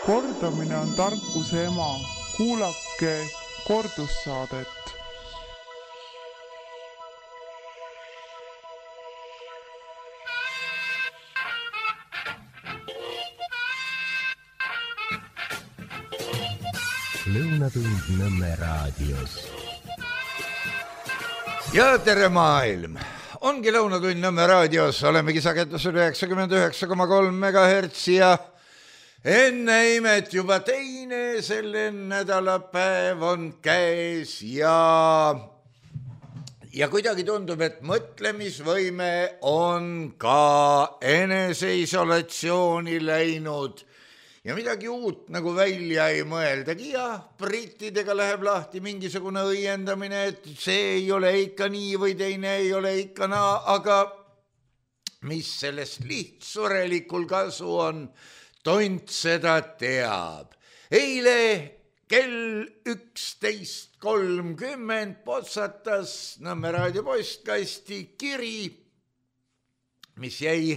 Kordamine on tarkuse ema. Kuulake kordussaadet. Lõunatund Nõmme raadios. Ja tere maailm! Ongi Lõunatund Nõmme raadios, olemegi sagedusel 99,3 MHz ja enne imet juba teine selle nädalapäev on käes ja kuidagi tundub, et mõtlemisvõime on ka eneseisolatsiooni läinud ja midagi uut nagu välja ei mõeldagi ja brittidega läheb lahti mingisugune õiendamine, et see ei ole ikka nii või teine ei ole ikka naa, aga mis sellest lihtsurelikul kasu on, tont seda teab. Eile kell 11.30 potsatas Nõmme raadio postkasti kiri, mis jäi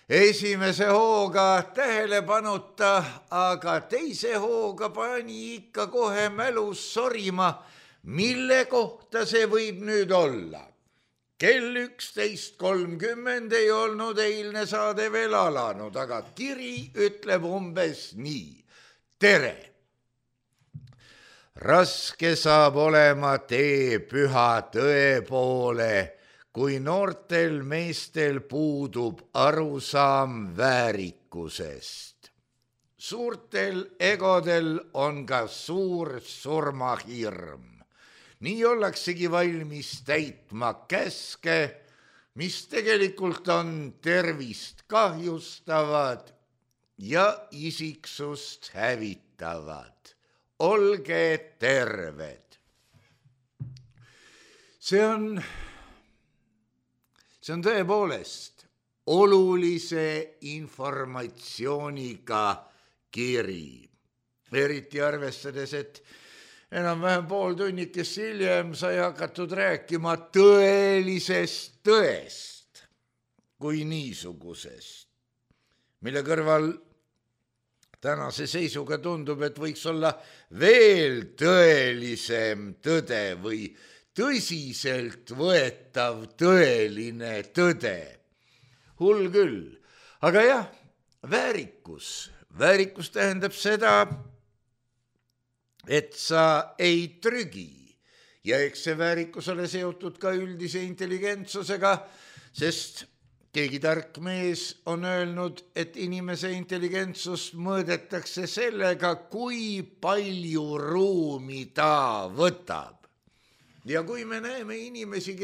esimese hooga tähelepanuta, aga teise hooga pani ikka kohe mälus sorima, mille kohta see võib nüüd olla. Kell 11.30 ei olnud eilne saade veel alanud, aga kiri ütleb umbes nii. Tere! Raske saab olema tee püha tõe poole, kui noortel meestel puudub arusaam väärikusest. Suurtel egodel on ka suur surmahirm. Nii ollaksegi valmis täitma käske, mis tegelikult on tervist kahjustavad ja isiksust hävitavad. Olge terved. See on tõepoolest olulise informatsiooniga kiri. Eriti arvestades, et enam-vähem pool tunnikest hiljem sai hakatud rääkima tõelisest tõest kui niisugusest, mille kõrval tänase seisuga tundub, et võiks olla veel tõelisem tõde või tõsiselt võetav tõeline tõde. Hull küll. Aga jah, väärikus. Väärikus tähendab seda, et sa ei trügi. Ja eks see väärikus ole seotud ka üldise intelligentsusega, sest keegi tark mees on öelnud, et inimese intelligentsust mõõdetakse sellega, kui palju ruumi ta võtab. Ja kui me näeme inimesi,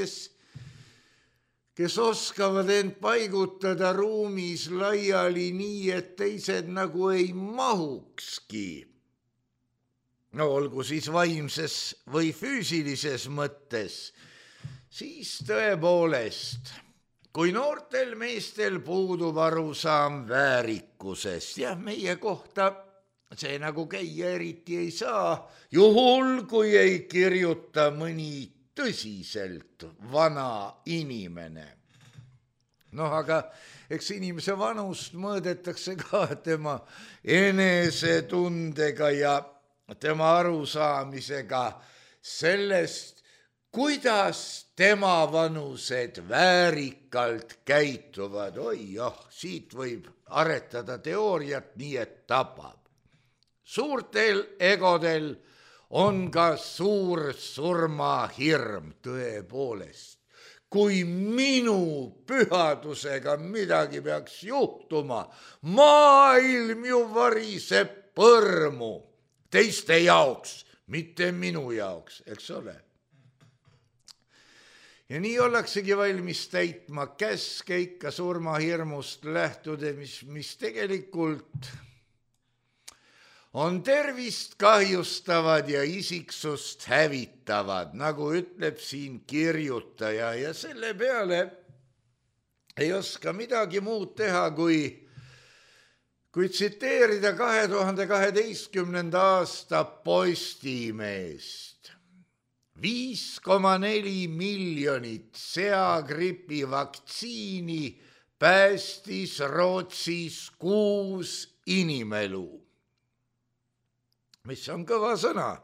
kes oskavad end paigutada ruumis laiali nii, et teised nagu ei mahukski, no olgu siis vaimses või füüsilises mõttes, siis tõepoolest, kui noortel meestel puudub arusaam väärikusest, jah, meie kohta see nagu käia eriti ei saa, juhul kui ei kirjuta mõni tõsiselt vana inimene. Aga eks inimese vanust mõõdetakse ka tema enesetundega ja tema arusaamisega sellest, kuidas tema vanused väärikalt käituvad. Siit võib aretada teooriat nii, et tapab. Suurtel egodel on ka suur surmahirm tõepoolest. Kui minu pühadusega midagi peaks juhtuma, maailm ju variseb põrmu teiste jaoks, mitte minu jaoks, eks ole. Ja nii ollaksegi valmis täitma käske ikka surmahirmust lähtude, mis tegelikult on tervist kahjustavad ja isiksust hävitavad, nagu ütleb siin kirjutaja, ja selle peale ei oska midagi muud teha, kui tsiteerida 2012. aasta Postimeest. 5,4 miljonit seagripi vaktsiini, päästis Rootsis 6 inimelu. mis on kõva sõna.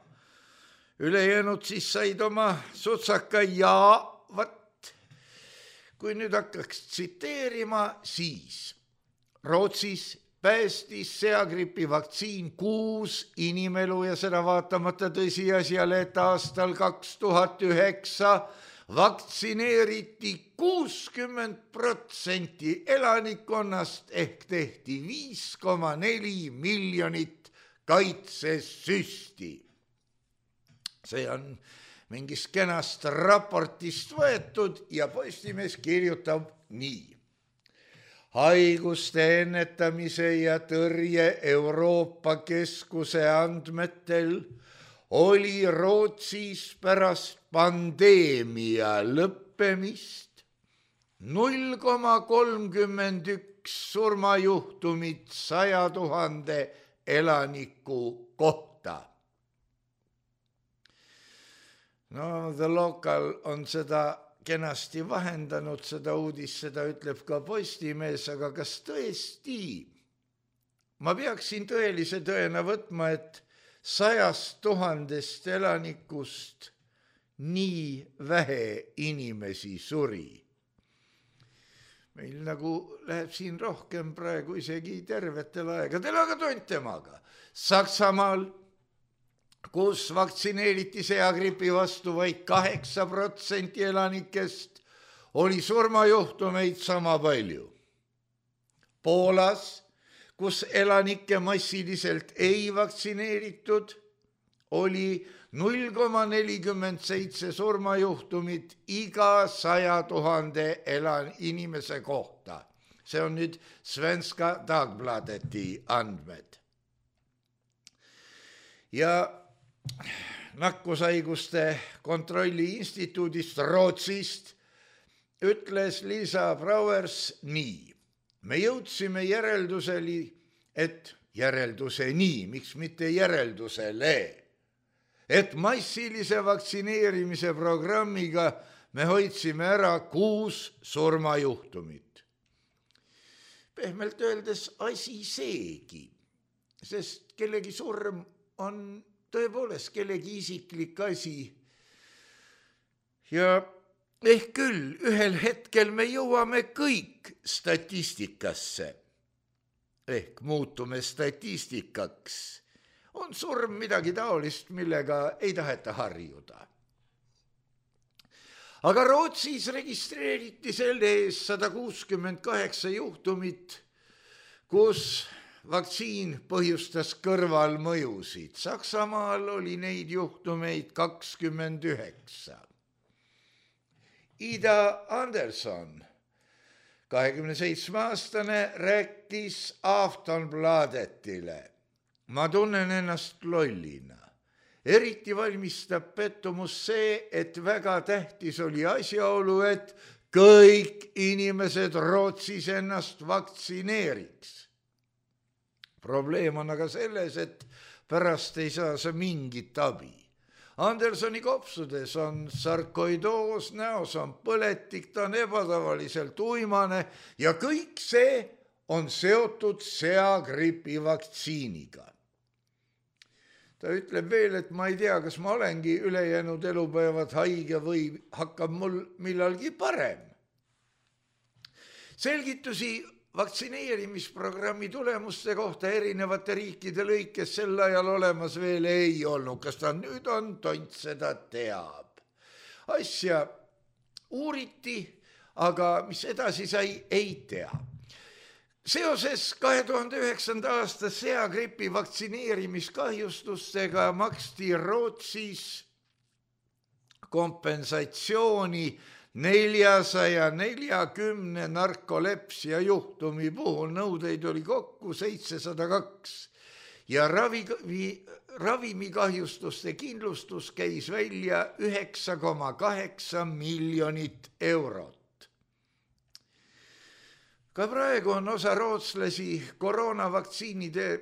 Ülejäänud siis said oma sutsaka ja vat, kui nüüd hakkaks tsiteerima, siis Rootsis päästis seagripi vaktsiin 6 inimelu ja seda vaatamata tõsiasjale, et aastal 2009 vaktsineeriti 60% elanikkonnast ehk tehti 5,4 miljonit kaitsesüsti. See on mingist kenast raportist võetud ja Postimees kirjutab nii. Haiguste ennetamise ja tõrje Euroopa Keskuse andmetel oli Rootsis pärast pandeemia lõppemist 0,31 surmajuhtumit 100 000 elaniku kohta. No, The Local on seda kenasti vahendanud, seda uudist, seda ütleb ka Postimees, aga kas tõesti? Ma peaksin tõelise tõena võtma, et 100 000 elanikust nii vähe inimesi suri. Meil nagu läheb siin rohkem praegu isegi tervetel aegadel, aga tont temaga. Saksamaal, kus vaktsineeriti seagripi vastu vaid 8% elanikest, oli surmajuhtumeid sama palju. Poolas, kus elanikke massiliselt ei vaktsineeritud, oli 0,47 surmajuhtumit iga 100 000 inimese kohta. See on nüüd Svenska Dagbladeti andmed. Ja nakkushaiguste kontrolli instituudist Rootsist ütles Liisa Brauers nii. Me jõudsime järelduseni, miks mitte järeldusele, et massilise vaktsineerimise programmiga me hoidsime ära 6 surmajuhtumit. Pehmelt öeldes asi seegi, sest kellegi surm on tõepoolest kellegi isiklik asi. Ja ehk küll ühel hetkel me jõuame kõik statistikasse. Ehk muutume statistikaks. On surm midagi taolist, millega ei taheta harjuda. Aga Rootsis registreeriti selle ees 168 juhtumit, kus vaktsiin põhjustas kõrvalmõjusid. Saksamaal oli neid juhtumeid 29. Ida Anderson, 27-aastane, rääkis Aftonbladetile. Ma tunnen ennast lollina. Eriti valmistab pettumus see, et väga tähtis oli asjaolu, et kõik inimesed Rootsis ennast vaktsineeriks. Probleem on aga selles, et pärast ei saa sa mingit abi. Andersoni kopsudes on sarkoidoos, näos on põletik, ta on ebatavaliselt uimane ja kõik see on seotud seagripi vaktsiiniga. Ta ütleb veel, et ma ei tea, kas ma olengi ülejäänud elupäevad haige või hakkab mul millalgi parem. Selgitusi vaktsineerimisprogrammi tulemuste kohta erinevate riikide lõikes sel ajal olemas veel ei olnud. Kas ta nüüd on, tont seda teab. Asja uuriti, aga mis edasi sai, ei tea. Seoses 2009. aasta seagripi vaktsineerimiskahjustustega maksti Rootsis kompensatsiooni 440 narkolepsia juhtumi puhul, nõudeid oli kokku 702 ja ravimikahjustuste kindlustus käis välja 9,8 miljonit eurot. Ka praegu on osa rootslasi koroonavaktsiinide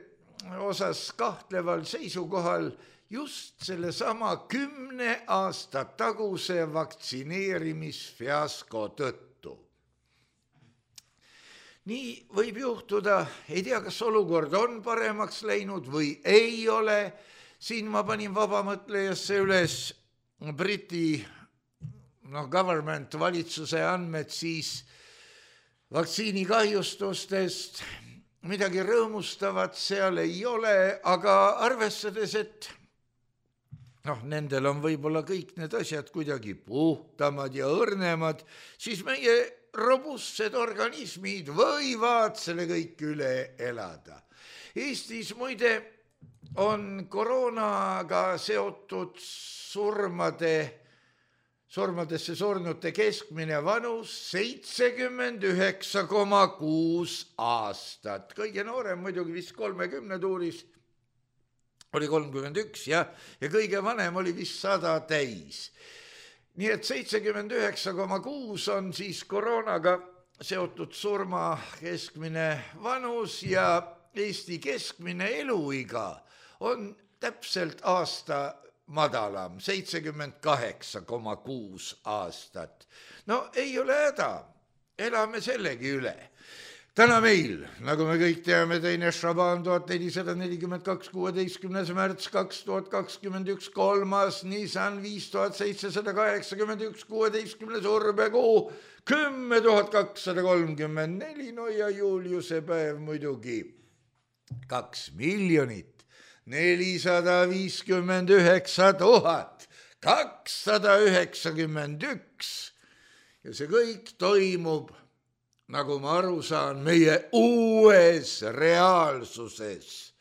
osas kahtleval seisukohal just sellesama 10 aasta taguse vaktsineerimisfiasko tõttu. Nii võib juhtuda, ei tea, kas olukord on paremaks läinud või ei ole, siin ma panin vabamõtlejasse üles Briti government, valitsuse andmed siis vaktsiinikahjustustest. Midagi rõõmustavat seal ei ole, aga arvestades, et nendel on võib-olla kõik need asjad kuidagi puhtamad ja õrnemad, siis meie robustsed organismid võivad selle kõik üle elada. Eestis muide on koroonaga seotud surmadesse surnute keskmine vanus 79,6 aastat. Kõige noorem muidugi vist 30 tuuris oli 31 ja kõige vanem oli vist 100 täis. Nii et 79,6 on siis koroonaga seotud surma keskmine vanus ja Eesti keskmine eluiga on täpselt aasta madalam, 78,6 aastat. No ei ole häda, elame sellegi üle. Täna meil, nagu me kõik teame, teine Šaban 1442, 16. märts 2021, 3. Nisan 5781, 16. urbekuu 10 234, no ja Juliuse päev muidugi 2 459 291 ja see kõik toimub, nagu ma aru saan, meie uues reaalsuses,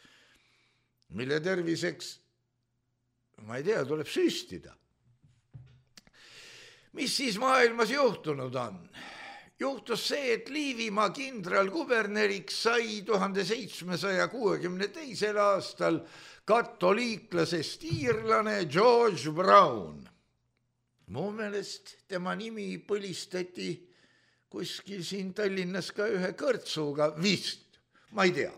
mille terviseks, ma ei tea, tuleb süstida. Mis siis maailmas juhtunud on? Juhtus see, et Liivimaa kindralkuberneriks sai 1762. aastal katoliiklasest iirlane George Brown. Mu meelest tema nimi põlistati kuskil siin Tallinnas ka ühe kõrtsuga, vist, ma ei tea.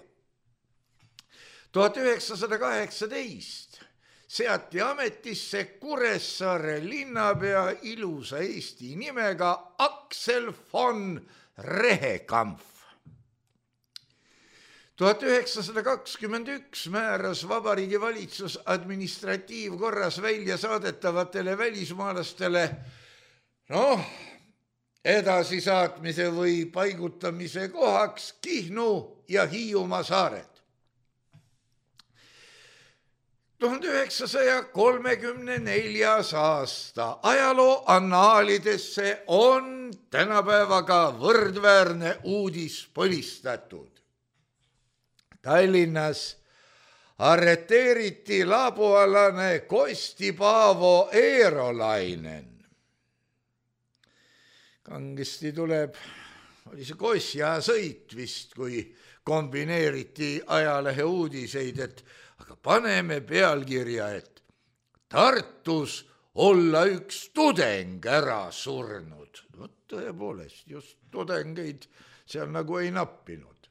1918 seati ametisse Kuressaare linnapea ilusa Eesti nimega Aksel von Rehekampf. 1921 määras Vabariigi Valitsus administratiivkorras välja saadetavatele välismaalastele edasisaatmise või paigutamise kohaks Kihnu ja Hiiumaa saared. 1934. aasta ajaloo annaalidesse on tänapäevaga võrdväärne uudis põlistatud. Tallinnas arreteeriti labualane Kosti Paavo Eerolainen. Kangesti tuleb, oli see Kosja sõit vist, kui kombineeriti ajalehe uudiseid, et aga paneme pealkirja, et Tartus olla üks tudeng ära surnud. Tõepoolest, just tudengeid seal nagu ei nappinud.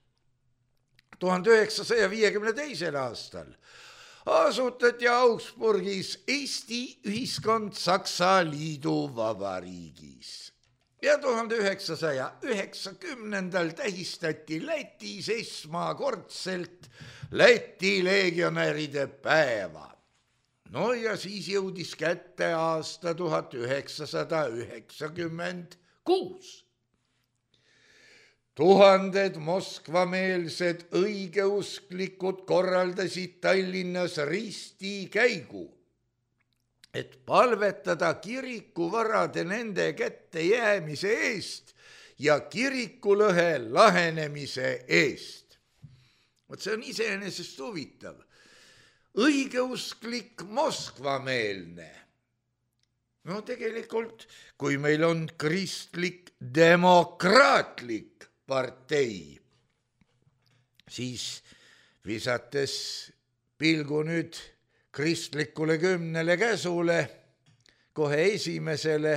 1952. aastal asutati Augsburgis Eesti ühiskond Saksa Liiduvabariigis. Ja 1990. tähistati Lätis esmakordselt Läti legionäride päeva. No ja siis jõudis kätte aasta 1996. Tuhanded moskvameelsed õigeusklikud korraldasid Tallinnas ristikäigu, et palvetada kirikuvarade nende kätte jäämise eest ja kirikulõhe lahenemise eest. Vot see on iseenesest huvitav. Õigeusklik moskvameelne. No tegelikult, kui meil on kristlik demokraatlik partei, siis visates pilgu nüüd kristlikule 10 käsule, kohe esimesele,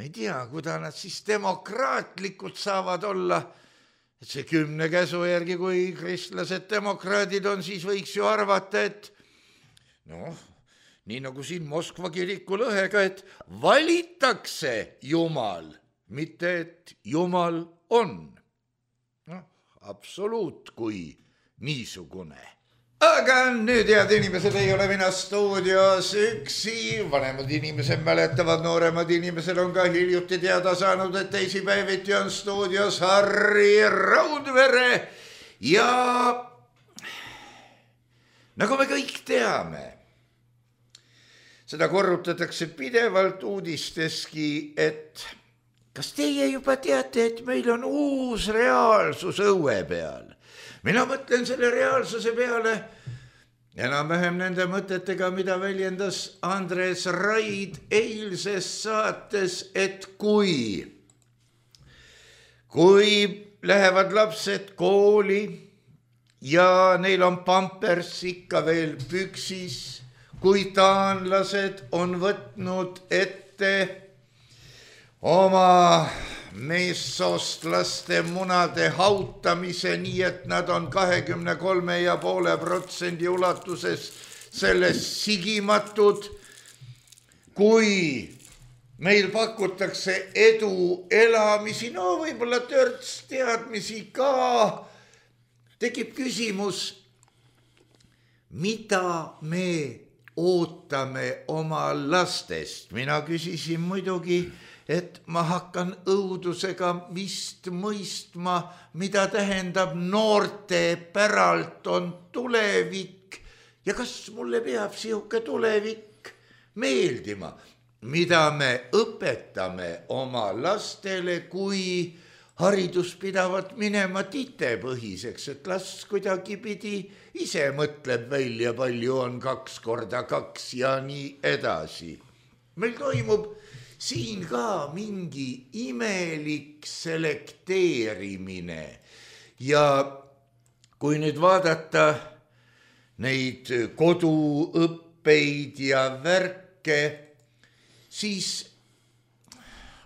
ei tea, kuida nad siis demokraatlikud saavad olla, et see 10 käsu järgi, kui kristlased demokraadid on, siis võiks ju arvata, et nii nagu siin Moskva kiriku lõhega, et valitakse Jumal, mitte et Jumal on. Absoluut kui niisugune Aga nüüd head inimesed ei ole mina stuudios üksi, vanemad inimesed mäletavad, nooremad inimesed on ka hiljuti teada saanud, et teisipäeviti on stuudios Harri Raudvere ja nagu me kõik teame, seda korrutatakse pidevalt uudisteski, et kas teie juba teate, et meil on uus reaalsus õue peal? Mina mõtlen selle reaalsuse peale enam-vähem nende mõtetega, mida väljendas Andres Raid eilses saates, et kui lähevad lapsed kooli ja neil on pampers ikka veel püksis, kui taanlased on võtnud ette oma meessoost munade hautamise, nii et nad on 23,5% ulatuses sellest sigimatud. Kui meil pakutakse edu elamisi, no võib-olla törts teadmisi ka, tekib küsimus, mida me ootame oma lastest. Mina küsisin muidugi, et ma hakkan õudusega vist mõistma, mida tähendab noorte päralt on tulevik ja kas mulle peab sihuke tulevik meeldima, mida me õpetame oma lastele, kui haridus pidavat minema titepõhiseks, et las kuidagi pidi ise mõtleb välja, palju on 2 korda 2 ja nii edasi. Meil toimub siin ka mingi imelik selekteerimine ja kui nüüd vaadata neid koduõppeid ja värke, siis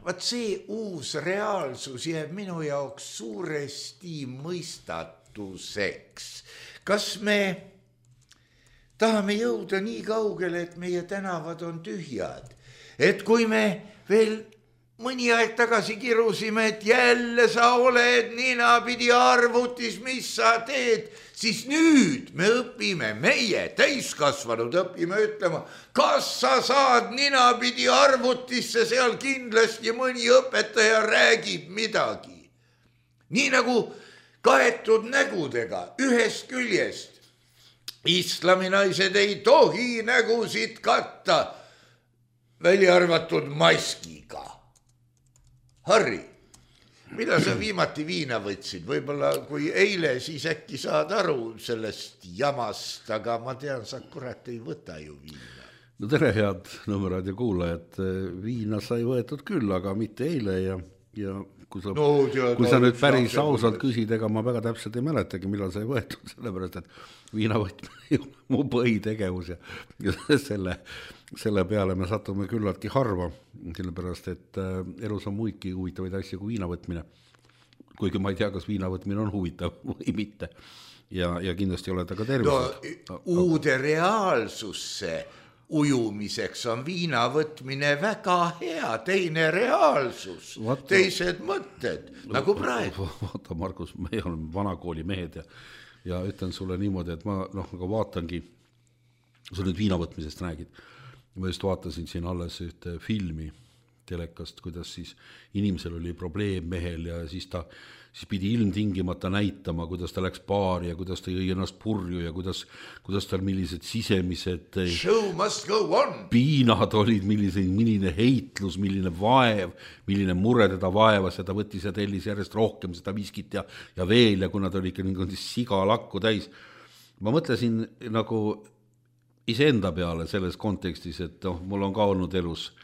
vaat see uus reaalsus jääb minu jaoks suuresti mõistatuseks. Kas me tahame jõuda nii kaugele, et meie tänavad on tühjad? Et kui me veel mõni aeg tagasi kirusime, et jälle sa oled ninapidi arvutis, mis sa teed, siis nüüd me õpime, meie täiskasvanud õpime ütlema, kas sa saad ninapidi arvutisse, seal kindlasti mõni õpetaja räägib midagi. Nii nagu kaetud nägudega ühest küljest. Islaminaised ei tohi nägusid katta, välja arvatud maskiga. Harri, millal sa viimati viina võtsid? Võib-olla kui eile, siis äkki saad aru sellest jamast, aga ma tean, sa kurat ei võta ju viina. No tere, head Nõmme kuulajad. Viina sai võetud küll, aga mitte eile ja kui sa nüüd päris ausalt küsid, ega ma väga täpselt ei mäletagi, millal sai võetud, sellepärast, et viina võtmine on mu põhitegevus ja selle peale me satume küllaltki harva, sellepärast, et elus on muidki huvitavaid asju kui viina võtmine. Kuigi ma ei tea, kas viina võtmine on huvitav või mitte. Ja kindlasti olete ka tervised. No, uude reaalsusse ujumiseks on viina võtmine väga hea, teine reaalsus, teised mõtted, nagu praegu. Vaata, Markus, me oleme vanakooli mehed ja ütlen sulle niimoodi, et ma nagu vaatangi, sa nüüd viina võtmisest räägid. Ma just vaatasin siin alles ühte filmi telekast, kuidas siis inimesel oli probleem mehel ja siis pidi ilmtingimata näitama, kuidas ta läks baari ja kuidas ta jõi ennast purju ja kuidas tal millised sisemised show must go on. Piinad olid, milline heitlus, milline vaev, milline mure teda vaevas ja ta võttis ja tellis järjest rohkem seda viskit ja veel ja kuna ta oli ikka niimoodi sigalakku täis. Ma mõtlesin nagu iseenda peale selles kontekstis, et mul on ka olnud elus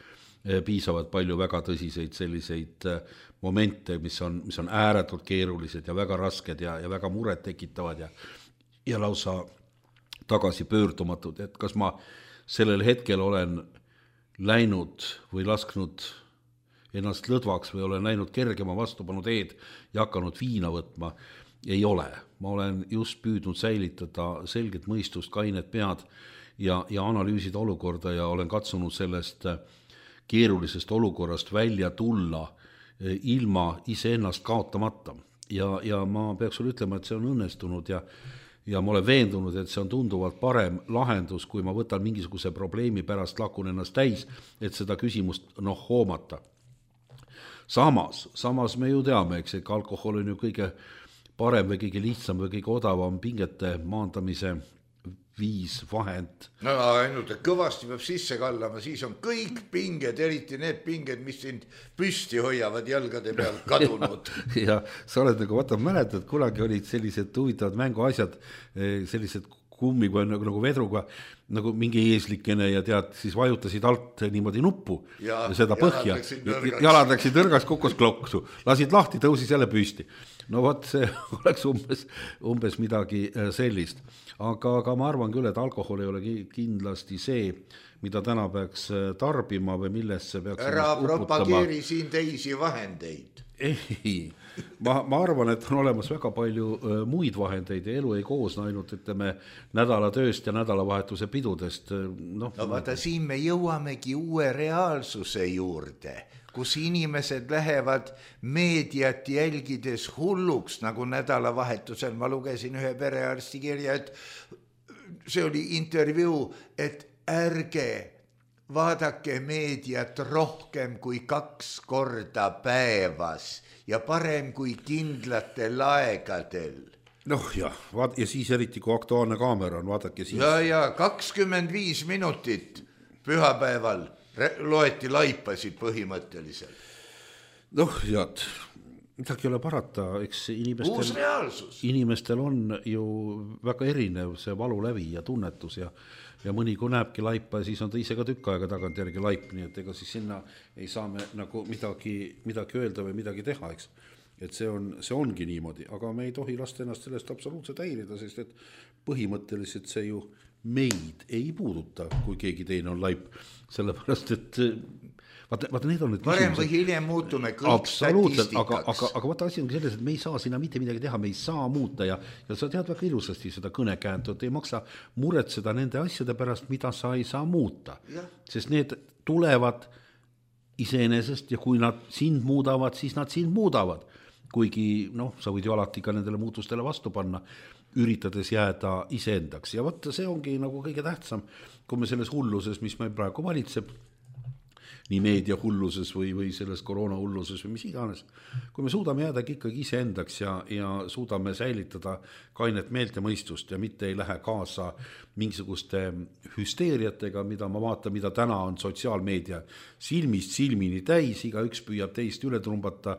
piisavalt palju väga tõsiseid selliseid momente, mis on ääretult keerulised ja väga rasked ja väga muret tekitavad ja lausa tagasi pöördumatud, et kas ma sellel hetkel olen läinud või lasknud ennast lõdvaks või olen läinud kergema vastupanu teed ja hakanud viina võtma, ei ole. Ma olen just püüdnud säilitada selget mõistust, kainet pead ja analüüsida olukorda ja olen katsunud sellest keerulisest olukorrast välja tulla ilma iseennast kaotamata. Ja ma peaks sulle ütlema, et see on õnnestunud ja ja ma olen veendunud, et see on tunduvalt parem lahendus, kui ma võtan mingisuguse probleemi pärast lakun ennast täis, et seda küsimust hoomata. Samas me ju teame, eks, et alkohol on ju kõige parem või kõige lihtsam või kõige odavam pingete maandamise viis, vahend. No ainult, et kõvasti peab sisse kallama, siis on kõik pinged, eriti need pinged, mis sind püsti hoiavad jalgade peal kadunud. ja sa oled nagu, mäletad, kunagi olid sellised huvitavad mänguasjad, sellised kummiga nagu vedruga, nagu mingi eeslikene ja tead, siis vajutasid alt niimoodi nuppu ja seda põhja. Jalad läksid nõrgaks, kukkus kloksu, lasid lahti, tõusis jälle püsti. No vot, see oleks umbes midagi sellist. Aga ma arvan küll, et alkohol ei ole kindlasti see, mida täna peaks tarbima või millesse peaks ära propageeri siin teisi vahendeid. Ei, ma arvan, et on olemas väga palju muid vahendeid ja elu ei koosne ainult, ütleme, nädalatööst ja nädalavahetuse pidudest. No vaata, siin me jõuamegi uue reaalsuse juurde, kus inimesed lähevad meediat jälgides hulluks, nagu nädalavahetusel ma lugesin ühe perearsti kirja, et see oli intervjuu, et ärge vaadake meediat rohkem kui 2 korda päevas ja parem kui kindlatel aegadel. Ja siis eriti kui Aktuaalne Kaamera on, vaadake siis. Ja 25 minutit pühapäeval loeti laipasid põhimõtteliselt. Midagi ei ole parata, eks uus reaalsus. Inimestel on ju väga erinev see valulävi ja tunnetus ja mõni kui näebki laipa ja siis on ta ise ka tükk aega tagant järgi laip, nii et ega siis sinna ei saa me nagu midagi öelda või midagi teha, eks. Et see ongi niimoodi, aga me ei tohi lasta ennast sellest absoluutselt häirida, sest et põhimõtteliselt see ju meid ei puuduta, kui keegi teine on laip, sellepärast et vaata need on need varem või hiljem muutume kõik statistikaks. Aga vaata asi on selles, et me ei saa sinna mitte midagi teha, me ei saa muuta ja sa tead väga ilusasti seda kõnekääntu, et ei maksa muretseda nende asjade pärast, mida sa ei saa muuta. Sest need tulevad iseenesest ja kui nad sind muudavad, siis nad sind muudavad. Kuigi sa võid ju alati ka nendele muutustele vastu panna, üritades jääda iseendaks. Ja vaata, see ongi nagu kõige tähtsam, kui me selles hulluses, mis meil praegu valitseb, nii meedia hulluses või selles koroona hulluses või mis iganes. Kui me suudame jääda ikkagi iseendaks ja suudame säilitada kainet meelt ja mõistust ja mitte ei lähe kaasa mingisuguste hüsteeriatega, mida ma vaatan, mida täna on sotsiaalmeedia silmist silmini täis, igaüks püüab teist üle trumbata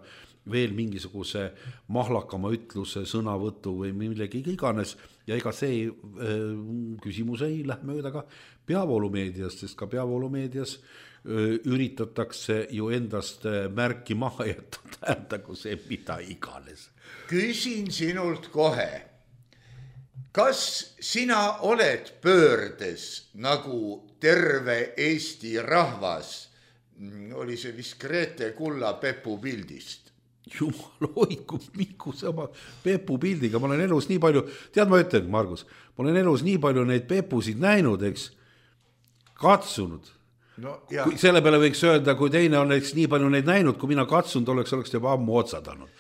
veel mingisuguse mahlakama ütluse, sõnavõtu või millegi iganes ja ega see küsimus ei lähe mööda ka peavoolumeediast, sest ka peavoolumeedias üritatakse ju endast märki maha jätta, tähendagu see mida iganes. Küsin sinult kohe, kas sina oled pöördes nagu terve Eesti rahvas? Oli see vist Grete Kulla Pepu pildist? Jumal hoidku, miku sama Pepu pildiga, ma olen elus nii palju, tead ma ütlen, Margus, ma olen elus nii palju neid Pepusid näinud, eks, katsunud. Selle peale võiks öelda, kui teine on nii palju neid näinud, kui mina katsunud oleks juba ammu otsadanud.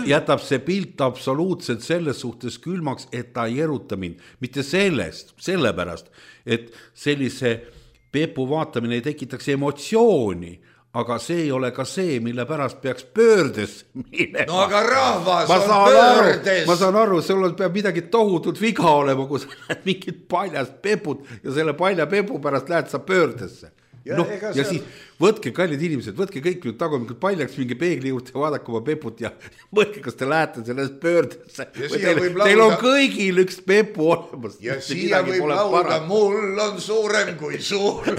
Jätab see pilt absoluutselt selles suhtes külmaks, et ta ei eruta mind. Mitte sellepärast, et sellise Pepu vaatamine ei tekitaks emotsiooni, aga see ei ole ka see, mille pärast peaks pöördes minema. No aga rahvas on pöördes. Ma saan aru, sul peab midagi tohutult viga olema, kui sa lähed mingit paljast Peput ja selle palja Pepu pärast lähed sa pöördesse. Ja siis võtke, kallid inimesed, võtke kõik nüüd tagumikul paljaks mingi peegli juurde ja vaadake oma Peput ja mõtke, kas te lähete sellest pöördesse. Teil on kõigil üks Pepu olemas. Ja siia võib lauda, mul on suurem kui suur.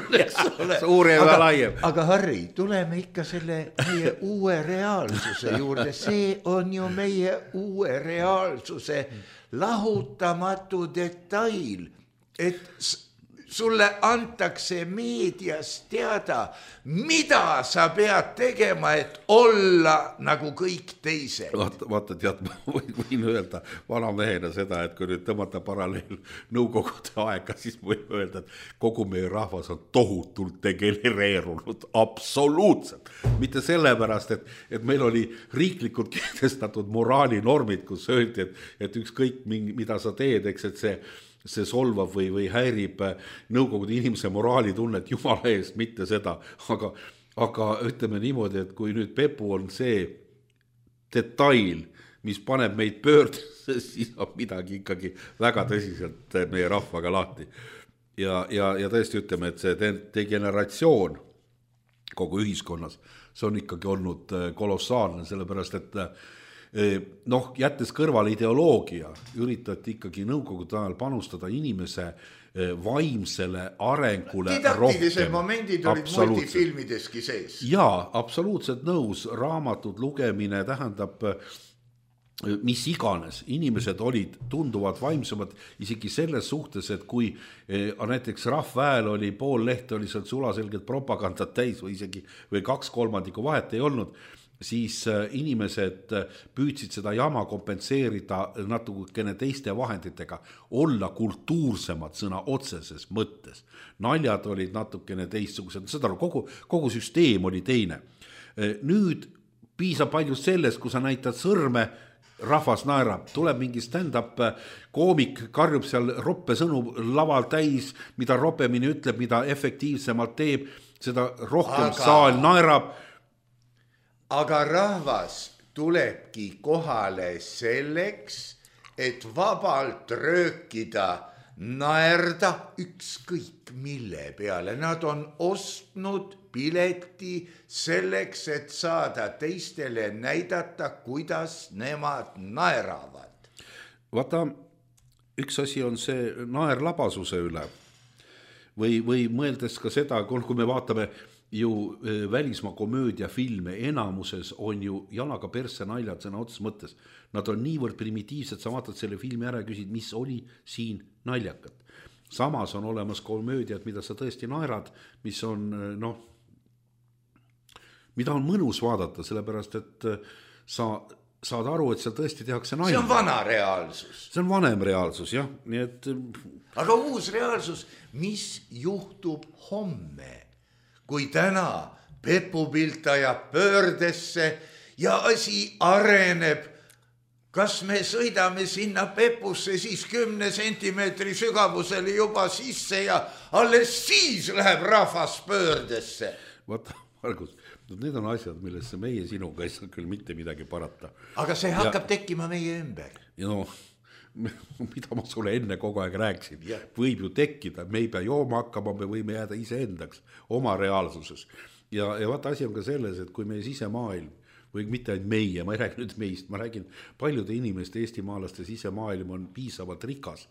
Suurem ja laiem. Aga Harri, tuleme ikka selle meie uue reaalsuse juurde. See on ju meie uue reaalsuse lahutamatu detail, et sulle antakse meedias teada, mida sa pead tegema, et olla nagu kõik teised. Vaata, tead, ma võin öelda vanamehena seda, et kui nüüd tõmmata paralleel nõukogude aega, siis võin öelda, et kogu meie rahvas on tohutult degenereerunud, absoluutselt. Mitte sellepärast, et meil oli riiklikult kehtestatud moraalinormid, kus öeldi, et ükskõik mida sa teed, eks, et see solvab või häirib nõukogude inimese moraalitunnet jumala eest, mitte seda, aga ütleme niimoodi, et kui nüüd Pepu on see detail, mis paneb meid pöördesse, siis on midagi ikkagi väga tõsiselt meie rahvaga lahti. Ja tõesti ütleme, et see degeneratsioon kogu ühiskonnas, see on ikkagi olnud kolossaalne, sellepärast et jättes kõrvale ideoloogia, üritati ikkagi nõukogude ajal panustada inimese vaimsele arengule didaktilised momendid olid multifilmideski sees. Jaa, absoluutselt nõus, raamatud lugemine tähendab mis iganes, inimesed olid tunduvalt vaimsemad isegi selles suhtes, et kui näiteks Rahvahääl oli pool lehte, oli seal sulaselgelt propagandat täis või isegi 2/3 vahet ei olnud, siis inimesed püüdsid seda jama kompenseerida natukene teiste vahenditega, olla kultuursemad sõna otseses mõttes. Naljad olid natukene teistsugused, seda kogu süsteem oli teine. Nüüd piisab palju sellest, kui sa näitad sõrme, rahvas naerab, tuleb mingi stand-up koomik, karjub seal roppe sõnu laval täis, mida ropemini ütleb, mida efektiivsemalt teeb, seda rohkem saal naerab. Aga rahvas tulebki kohale selleks, et vabalt röökida, naerda ükskõik mille peale. Nad on ostnud pileti selleks, et saada teistele näidata, kuidas nemad naeravad. Vaata, üks asi on see naerlabasuse üle või mõeldes ka seda, kui me vaatame ju välismaa komöödiafilme, enamuses on ju jalaga persse naljad sõna otses mõttes. Nad on niivõrd primitiivsed, sa vaatad selle filmi ära ja küsid, mis oli siin naljakat. Samas on olemas komöödiad, mida sa tõesti naerad, mis on, mida on mõnus vaadata, sellepärast, et sa saad aru, et seal tõesti tehakse nalja. See on vana reaalsus. See on vanem reaalsus, jah. Nii et... Aga uus reaalsus, mis juhtub homme? Kui täna Pepu pilt ajab pöördesse ja asi areneb, kas me sõidame sinna Pepusse siis 10 sentimeetri sügavusele juba sisse ja alles siis läheb rahvas pöördesse? Vaata, Margus, need on asjad, millesse meie sinuga ei saa küll mitte midagi parata. Aga see hakkab tekkima meie ümber. Ja mida ma sulle enne kogu aeg rääksin, võib ju tekkida, me ei pea jooma hakkama, me võime jääda iseendaks oma reaalsuses. Ja vaata asi on ka selles, et kui meie sisemaailm, või mitte ainult meie, ma ei räägi nüüd meist, ma räägin paljude inimeste, eestimaalaste sisemaailm on piisavalt rikas,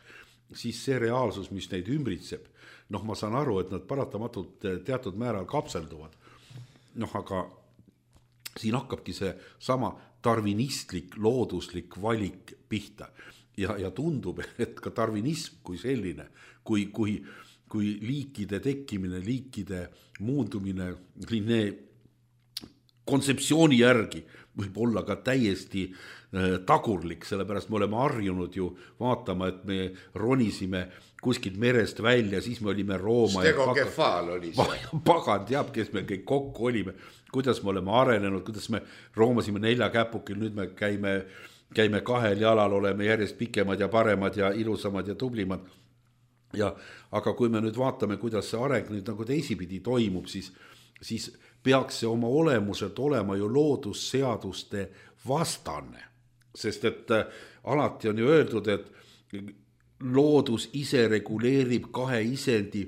siis see reaalsus, mis neid ümbritseb, ma saan aru, et nad paratamatult teatud määral kapselduvad. Aga siin hakkabki see sama darwinistlik, looduslik valik pihta. Ja tundub, et ka darwinism kui selline, kui liikide tekkimine, liikide muundumine, kontseptsiooni järgi võib olla ka täiesti tagurlik, sellepärast me oleme harjunud ju vaatama, et me ronisime kuskilt merest välja, siis me olime Rooma. Stegokefaal oli see. Pagan teab, kes me kõik kokku olime, kuidas me oleme arenenud, kuidas me roomasime 4 käpukil, nüüd me käime 2 jalal, oleme järjest pikemad ja paremad ja ilusamad ja tublimad. Aga kui me nüüd vaatame, kuidas see areng nüüd nagu teisipidi toimub, siis peaks see oma olemuselt olema ju loodusseaduste vastane. Sest et alati on ju öeldud, et loodus ise reguleerib 2 isendi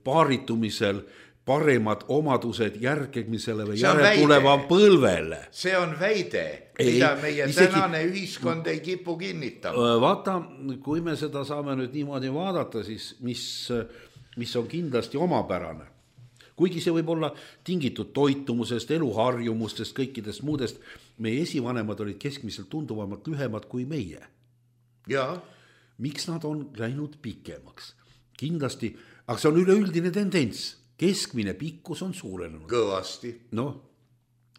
paaritumisel paremad omadused järgmisele või järeltuleva põlvele. See on väide, mida meie tänane ühiskond ei kipu kinnitama. Vaata, kui me seda saame nüüd niimoodi vaadata, siis mis on kindlasti omapärane. Kuigi see võib olla tingitud toitumusest, eluharjumustest, kõikidest muudest, meie esivanemad olid keskmiselt tunduvamalt lühemad kui meie. Ja. Miks nad on läinud pikemaks? kindlasti, aga see on üleüldine tendents, keskmine pikkus on suurenenud. Kõvasti. Noh,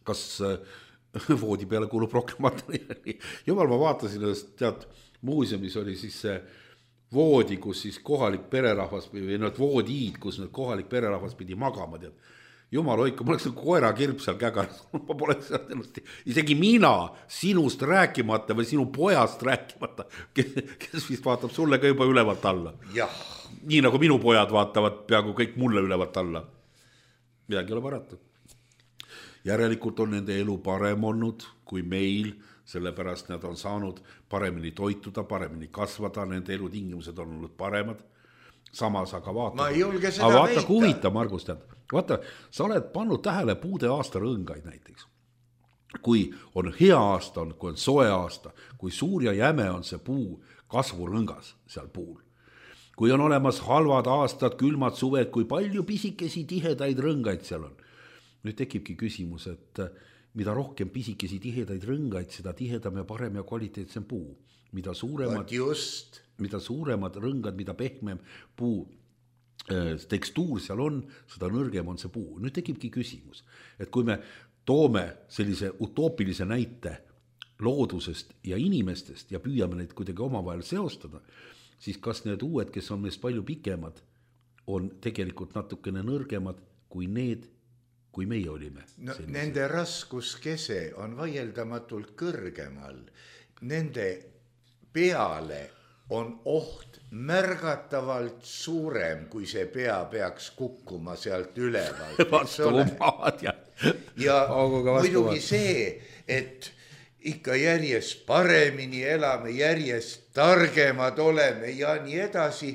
kas voodi peale kuulub rohkem materjali? Jumal, ma vaatasin, tead, muuseumis oli siis see voodi, kus siis kohalik pererahvas või need voodiid, kus need kohalik pererahvas pidi magama, tead. Jumal hoidku, ma oleks koera kirp seal kägaras, ma poleks ennast, isegi mina sinust rääkimata või sinu pojast rääkimata, kes vist vaatab sulle ka juba ülevalt alla. Jah. Nii nagu minu pojad vaatavad peaaegu kõik mulle ülevalt alla. Midagi ei ole parata. Järelikult on nende elu parem olnud kui meil, sellepärast nad on saanud paremini toituda, paremini kasvada, nende elutingimused on olnud paremad. Samas aga vaata. Ma ei julge seda vaata, väita. Huvita, Margus, tead. Vaata, sa oled pannud tähele puude aasta rõngaid näiteks. Kui on hea aasta, kui on soe aasta, kui suur ja jäme on see puu kasvurõngas seal puul. Kui on olemas halvad aastad, külmad suved, kui palju pisikesi tihedaid rõngaid seal on. Nüüd tekibki küsimus, et mida rohkem pisikesi tihedaid rõngaid, seda tihedam ja parem ja kvaliteetsem puu. Mida suuremad rõngad, mida pehmem puu tekstuur seal on, seda nõrgem on see puu. Nüüd tekibki küsimus, et kui me toome sellise utoopilise näite loodusest ja inimestest ja püüame neid kuidagi omavahel seostada, siis kas need uued, kes on meist palju pikemad, on tegelikult natukene nõrgemad kui need, kui meie olime. No, nende raskuskese on vaieldamatult kõrgemal. Nende peale on oht märgatavalt suurem, kui see pea peaks kukkuma sealt ülevalt. Ja muidugi see, et ikka järjest paremini elame, järjest targemad oleme ja nii edasi,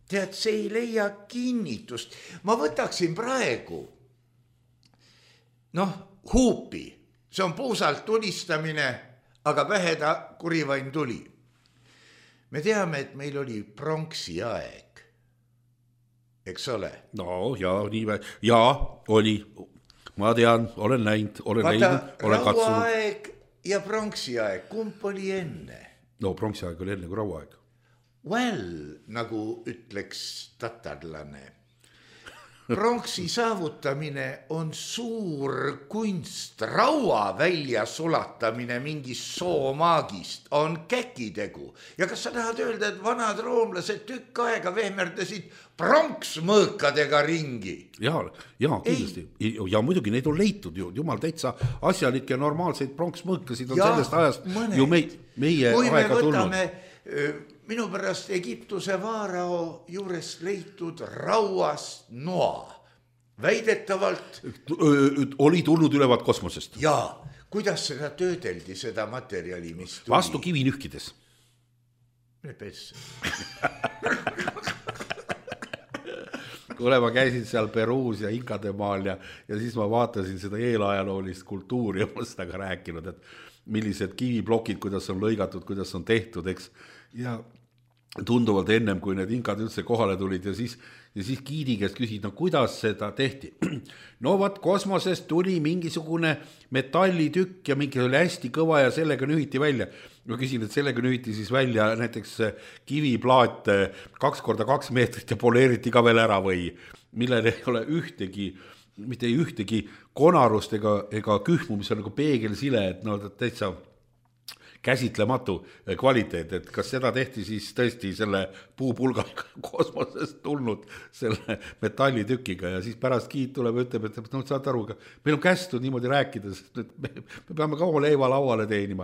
tead, see ei leia kinnitust. Ma võtaksin praegu huupi, see on puusalt tulistamine, aga pähe ta kurivain tuli. Me teame, et meil oli pronksi aeg, eks ole? No, oli. Ma tean, olen näinud, olen katsunud. Rauaaeg ja pronksi aeg, kumb oli enne? No, pronksi aeg oli enne kui rauaaeg. Well, nagu ütleks tatarlane. Pronksi saavutamine on suur kunst, raua välja sulatamine mingist soomaagist on käkitegu. Ja kas sa tahad öelda, et vanad roomlased tükk aega vehmerdasid pronksmõõkadega ringi? Ja, kindlasti. Ja muidugi neid on leitud ju, jumal täitsa asjalikke ja normaalseid pronksmõõkasid on sellest ajast ju meie aega tulnud. Minu pärast Egiptuse vaarao juures leitud rauast noa. Väidetavalt oli tulnud ülevalt kosmosest. Ja, kuidas seda töödeldi, seda materjali, mis tuli? Vastu kivi nühkides. Mine pesse. Kuule, ma käisin seal Peruus ja Inkademaal ja siis ma vaatasin seda eelajaloolist kultuuri ja ma seda ka rääkinud, et millised kiviplokid, kuidas on lõigatud, kuidas on tehtud, eks. Ja tunduvalt ennem, kui need inkad üldse kohale tulid ja siis giidi käest küsid, no kuidas seda tehti? No vaat kosmosest tuli mingisugune metallitükk ja mingi oli hästi kõva ja sellega nühiti välja. Ma küsin, et sellega nühiti siis välja näiteks kiviplaat 2x2 meetrit ja poleeriti ka veel ära või millel ei ole mitte ühtegi konarust ega kühmu, mis on nagu peegelsile, et no täitsa käsitlematu kvaliteet, et kas seda tehti siis tõesti selle puupulga kosmosest tulnud selle metallitükiga ja siis pärast giid tuleb ja ütleb, et no saad aru, meil on kästud niimoodi rääkida, sest me peame ka oma leiva lauale teenima.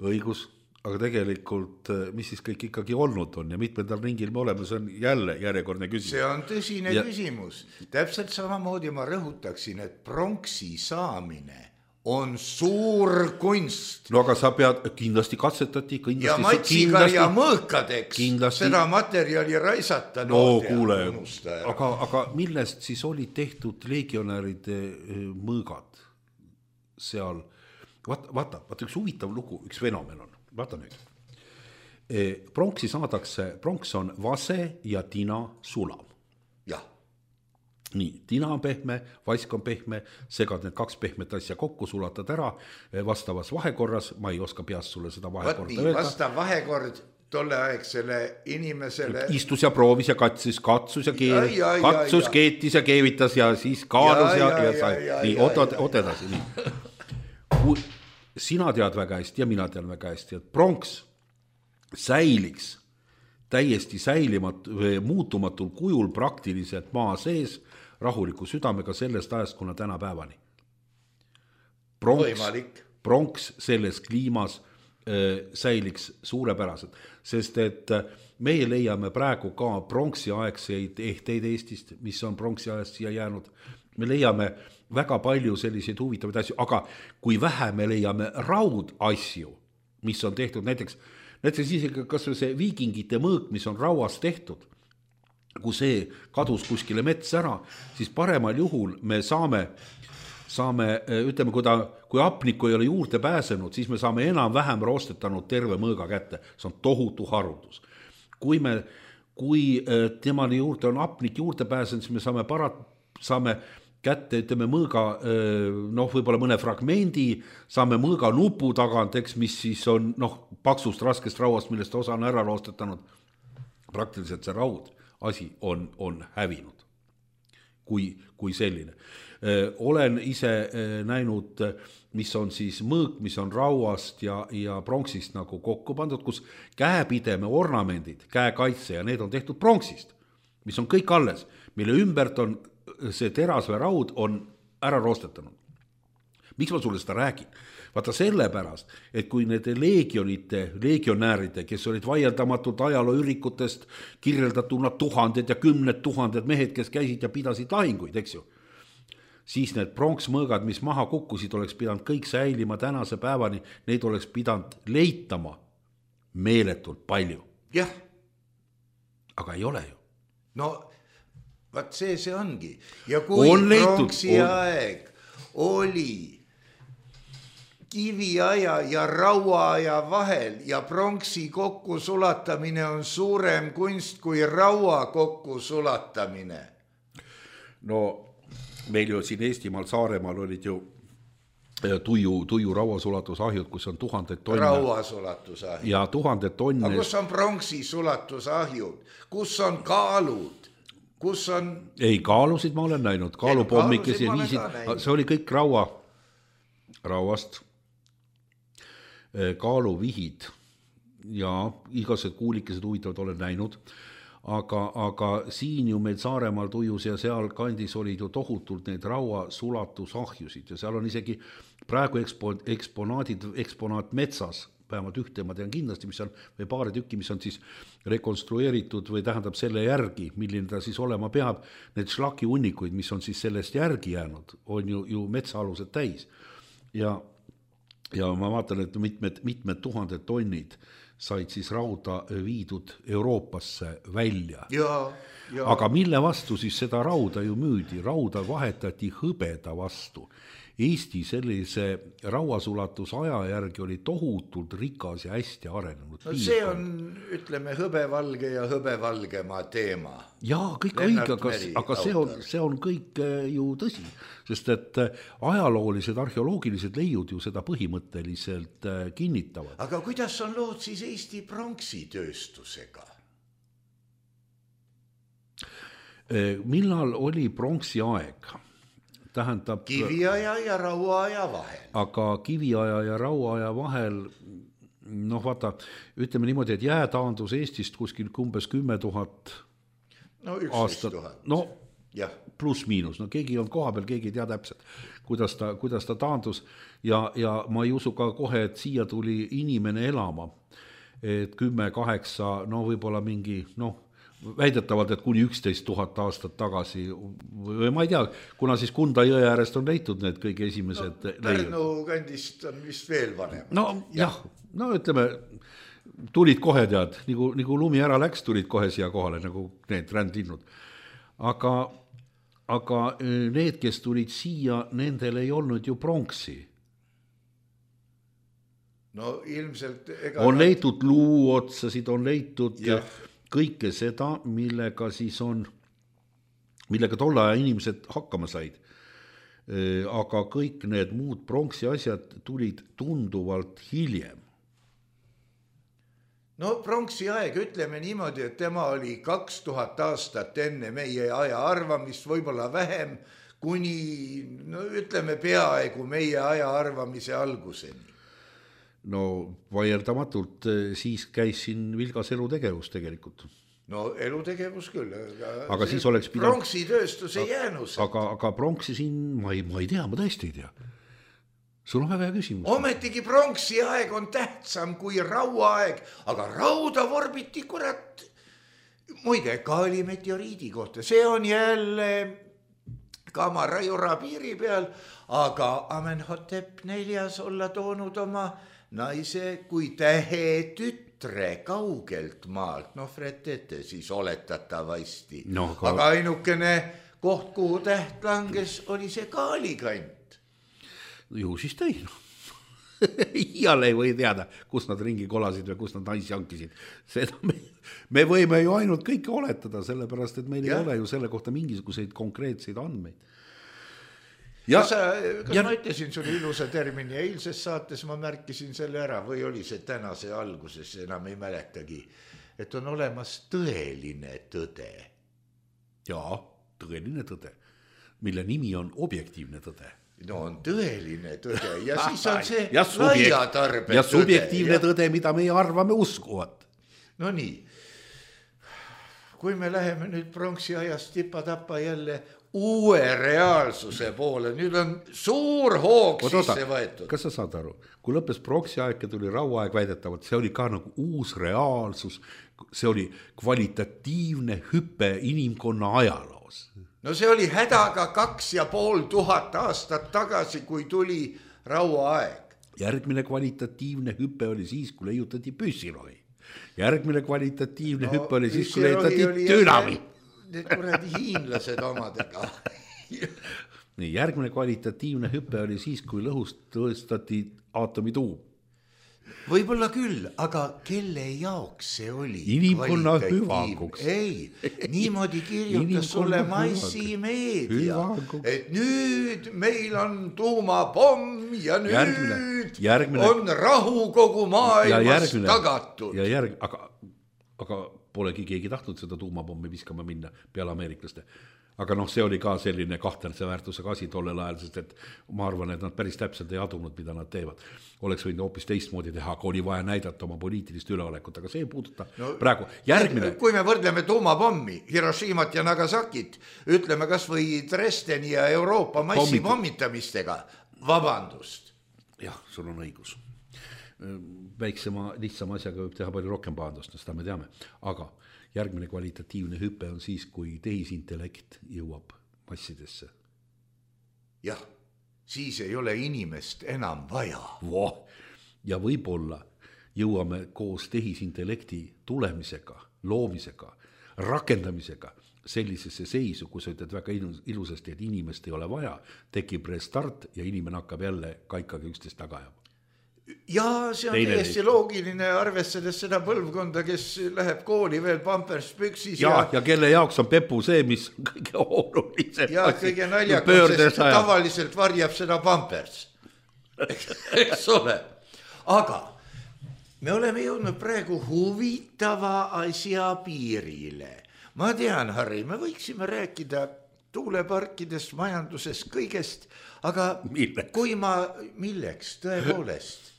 Õigus, aga tegelikult mis siis kõik ikkagi olnud on ja mitmendal ringil me oleme, see on jälle järjekordne küsimus. See on tõsine küsimus. Täpselt samamoodi ma rõhutaksin, et pronksi saamine on suur kunst. No aga sa pead, kindlasti katsetati. Ja matsiga ja mõõkadeks seda materjali raisata. No kuule, aga millest siis oli tehtud legionäride mõõgad seal? Vaata, üks huvitav lugu, üks fenomen on. Vaata nüüd. Pronksi saadakse, pronks on vase ja tina sulam. Jah. Nii, tina on pehme, vask on pehme, segad need kaks pehmet asja kokku, sulatad ära vastavas vahekorras, ma ei oska peast sulle seda vahekorda öelda. Vastav vahekord tolleaegsele inimesele. Istus ja proovis ja katsus keetis ja keevitas ja siis kaalus ja sai. Nii, oot edasi. Nii. Sina tead väga hästi ja mina tean väga hästi, et pronks säiliks täiesti muutumatul kujul praktiliselt maa sees rahuliku südamega sellest ajast, kuna täna päevani. Pronks selles kliimas säiliks suurepäraselt, sest et meie leiame praegu ka pronksi aegseid ehteid Eestist, mis on pronksi ajast siia jäänud. Me leiame väga palju selliseid huvitavaid asju, aga kui vähe me leiame raudasju, mis on tehtud näiteks isegi kas või see viikingite mõõk, mis on rauast tehtud, kui see kadus kuskile mets ära, siis paremal juhul me saame, ütleme, kui hapnikku ei ole juurde pääsenud, siis me saame enam-vähem roostetanud terve mõõga kätte. See on tohutu haruldus. Kui temani juurde on hapnik juurde pääsenud, siis me saame kätte, ütleme, mõõga, võib-olla mõne fragmendi, saame mõõga nupu tagant, mis siis on, paksust raskest rauast, millest osa on ära roostetanud. Praktiliselt see raud asi on hävinud kui selline. Olen ise näinud, mis on siis mõõk, mis on rauast ja pronksist nagu kokku pandud, kus käepideme ornamendid, käekaitse ja need on tehtud pronksist, mis on kõik alles, mille ümbert on see teras või raud on ära roostetanud. Miks ma sulle seda räägin? Vaata sellepärast, et kui need legionääride, kes olid vaieldamatult ajalooürikutest kirjeldatuna tuhanded ja kümned tuhanded mehed, kes käisid ja pidasid lahinguid, eks ju, siis need pronksmõõgad, mis maha kukkusid, oleks pidanud kõik säilima tänase päevani, neid oleks pidanud leitama meeletult palju. Jah. Aga ei ole ju. No, vaat see ongi. Ja kui pronksi aeg oli kiviaja ja rauaaja vahel ja pronksi kokkusulatamine on suurem kunst kui raua kokkusulatamine. No meil ju siin Eestimaal Saaremaal olid ju tuju rauasulatusahjud, kus on 1000 tonne. Rauasulatusahjud. Ja 1000 tonne. Aga kus on pronksi sulatusahjud? Kus on kaalud? Kus on... Ei, kaalusid ma olen näinud. Kaalupommikesi see oli kõik rauast. Kaaluvihid ja igased kuulikesed huvitavad olen näinud, aga siin ju meil Saaremaal tujus ja seal kandis olid ju tohutult neid rauasulatusahjusid ja seal on isegi praegu eksponaat metsas, vähemalt ühte ma tean kindlasti, mis on, või paari tükki, mis on siis rekonstrueeritud või tähendab selle järgi, milline ta siis olema peab, need šlaki unnikuid, mis on siis sellest järgi jäänud, on ju metsaalused täis ja ma vaatan, et mitmed tuhanded tonnid said siis rauda viidud Euroopasse välja. Ja. Aga mille vastu siis seda rauda ju müüdi? Rauda vahetati hõbeda vastu. Eesti sellise rauasulatusaja järgi oli tohutult rikas ja hästi arenenud. No see on, ütleme, hõbevalge ja hõbevalgema teema. Jaa, kõik õige, aga see on kõik ju tõsi, sest et ajaloolised, arheoloogilised leiud ju seda põhimõtteliselt kinnitavad. Aga kuidas on lood siis Eesti pronksitööstusega? Millal oli pronksi aeg? Tähendab, kiviaja ja rauaaja vahel. Aga kiviaja ja rauaaja vahel, vaata, ütleme niimoodi, et jäätaandus Eestist kuskil umbes 10 000 aastat. Pluss miinus, keegi on koha peal, keegi ei tea täpselt, kuidas ta taandus ja ma ei usu ka kohe, et siia tuli inimene elama, et 10-8, võib-olla mingi, väidetavalt, et kuni 11 000 aastat tagasi või ma ei tea, kuna siis Kunda jõe äärest on leitud need kõige esimesed Pärnu kandist on vist veel vanem. Ütleme, tulid kohe tead, nagu lumi ära läks, tulid kohe siia kohale, nagu need rändlinnud. Aga need, kes tulid siia, nendel ei olnud ju pronksi. No ilmselt... On leitud luuotsasid, on leitud... kõike seda, millega tolle aja inimesed hakkama said. Aga kõik need muud pronksi asjad tulid tunduvalt hiljem. no pronksi aeg, ütleme niimoodi, et tema oli 2000 aastat enne meie aja arvamist, võib-olla vähem, kuni no ütleme peaaegu meie aja arvamise alguseni. No vaieldamatult siis käis siin vilgas elutegevus tegelikult. No elutegevus küll. Aga siis oleks pidanud... Pronksitööstus ei jäänud. Aga pronksi siin, ma ei tea, ma tõesti ei tea. Sul on väga hea küsimus. Ometigi pronksi aeg on tähtsam kui rauaaeg, aga rauda vorbiti kurat. Muide, ka oli meteoriidi kohta. See on jälle Kamarajura piiri peal, aga Amenhotep 4 olla toonud oma naise kui tähe tütre kaugelt maalt. No fretete siis oletatavasti. No, aga ainukene koht, kuhu täht langes, oli see Kaalikant. Ju siis tõi. Iiale ei või teada, kus nad ringi kolasid või kus nad naisi hankisid. Seda me võime ju ainult kõike oletada, sellepärast, et meil ei ole ju selle kohta mingisuguseid konkreetseid andmeid. Kas ma ütlesin sulle ilusa termini, eilses saates ma märkisin selle ära või oli see tänase alguses, enam ei mäletagi, et on olemas tõeline tõde. Jaa, tõeline tõde, mille nimi on objektiivne tõde. No on tõeline tõde ja siis on see laiatarbe tõde. Ja subjektiivne tõde, mida meie arvame uskuvat. No nii, kui me läheme nüüd pronksi ajast tipa-tapa jälle uue reaalsuse poole, nüüd on suur hoog sisse võetud. Kas sa saad aru, kui lõppes pronksi aeg ja tuli rauaaeg väidetavalt, see oli ka nagu uus reaalsus, see oli kvalitatiivne hüpe inimkonna ajaloos. No see oli hädaga 2500 aastat tagasi, kui tuli rauaaeg. Järgmine kvalitatiivne hüpe oli siis, kui leiutati püssirohi. Järgmine kvalitatiivne hüpe oli siis, kui leiutati dünamiit. Need kuradi hiinlased omadega. Nii, järgmine kvalitatiivne hüpe oli siis, kui lõhust tõestati aatomituum. Võib-olla küll, aga kelle jaoks see oli? Inimkonna hüvanguks. Ei, niimoodi kirjutas sulle massimeedia, et nüüd meil on tuumapomm ja nüüd on rahu kogu maailmas tagatud. Aga polegi keegi tahtnud seda tuumapommi viskama minna peale ameeriklaste. Aga see oli ka selline kahtlase väärtusega asi tollel ajal, sest et ma arvan, et nad päris täpselt ei adunud, mida nad teevad. Oleks võinud hoopis teistmoodi teha, aga oli vaja näidata oma poliitilist üleolekut, aga see ei puuduta praegu. Järgmine. Kui me võrdleme tuumapommi, Hiroshimat ja Nagasakit, ütleme kas või Dresdeni ja Euroopa massipommitamistega, vabandust. Jah, sul on õigus. Väiksema, lihtsama asjaga võib teha palju rohkem pahandust, seda me teame, aga järgmine kvalitatiivne hüpe on siis, kui tehisintellekt jõuab massidesse. Jah, siis ei ole inimest enam vaja. Ja võib-olla jõuame koos tehisintellekti tulemisega, loomisega, rakendamisega sellisesse seisu, kus sa ütled väga ilusasti, et inimest ei ole vaja, tekib restart ja inimene hakkab jälle kaikaga üksteist taga ajama. Ja see on täiesti loogiline, arvestades seda põlvkonda, kes läheb kooli veel pampers püksis. Ja kelle jaoks on pepu see, mis on kõige olulisem. Ja kõige naljakam, sest tavaliselt varjab seda pampers. Eks ole. Aga me oleme jõudnud praegu huvitava asja piirile. Ma tean, Harri, me võiksime rääkida tuuleparkidest, majandusest, kõigest, aga milleks tõepoolest?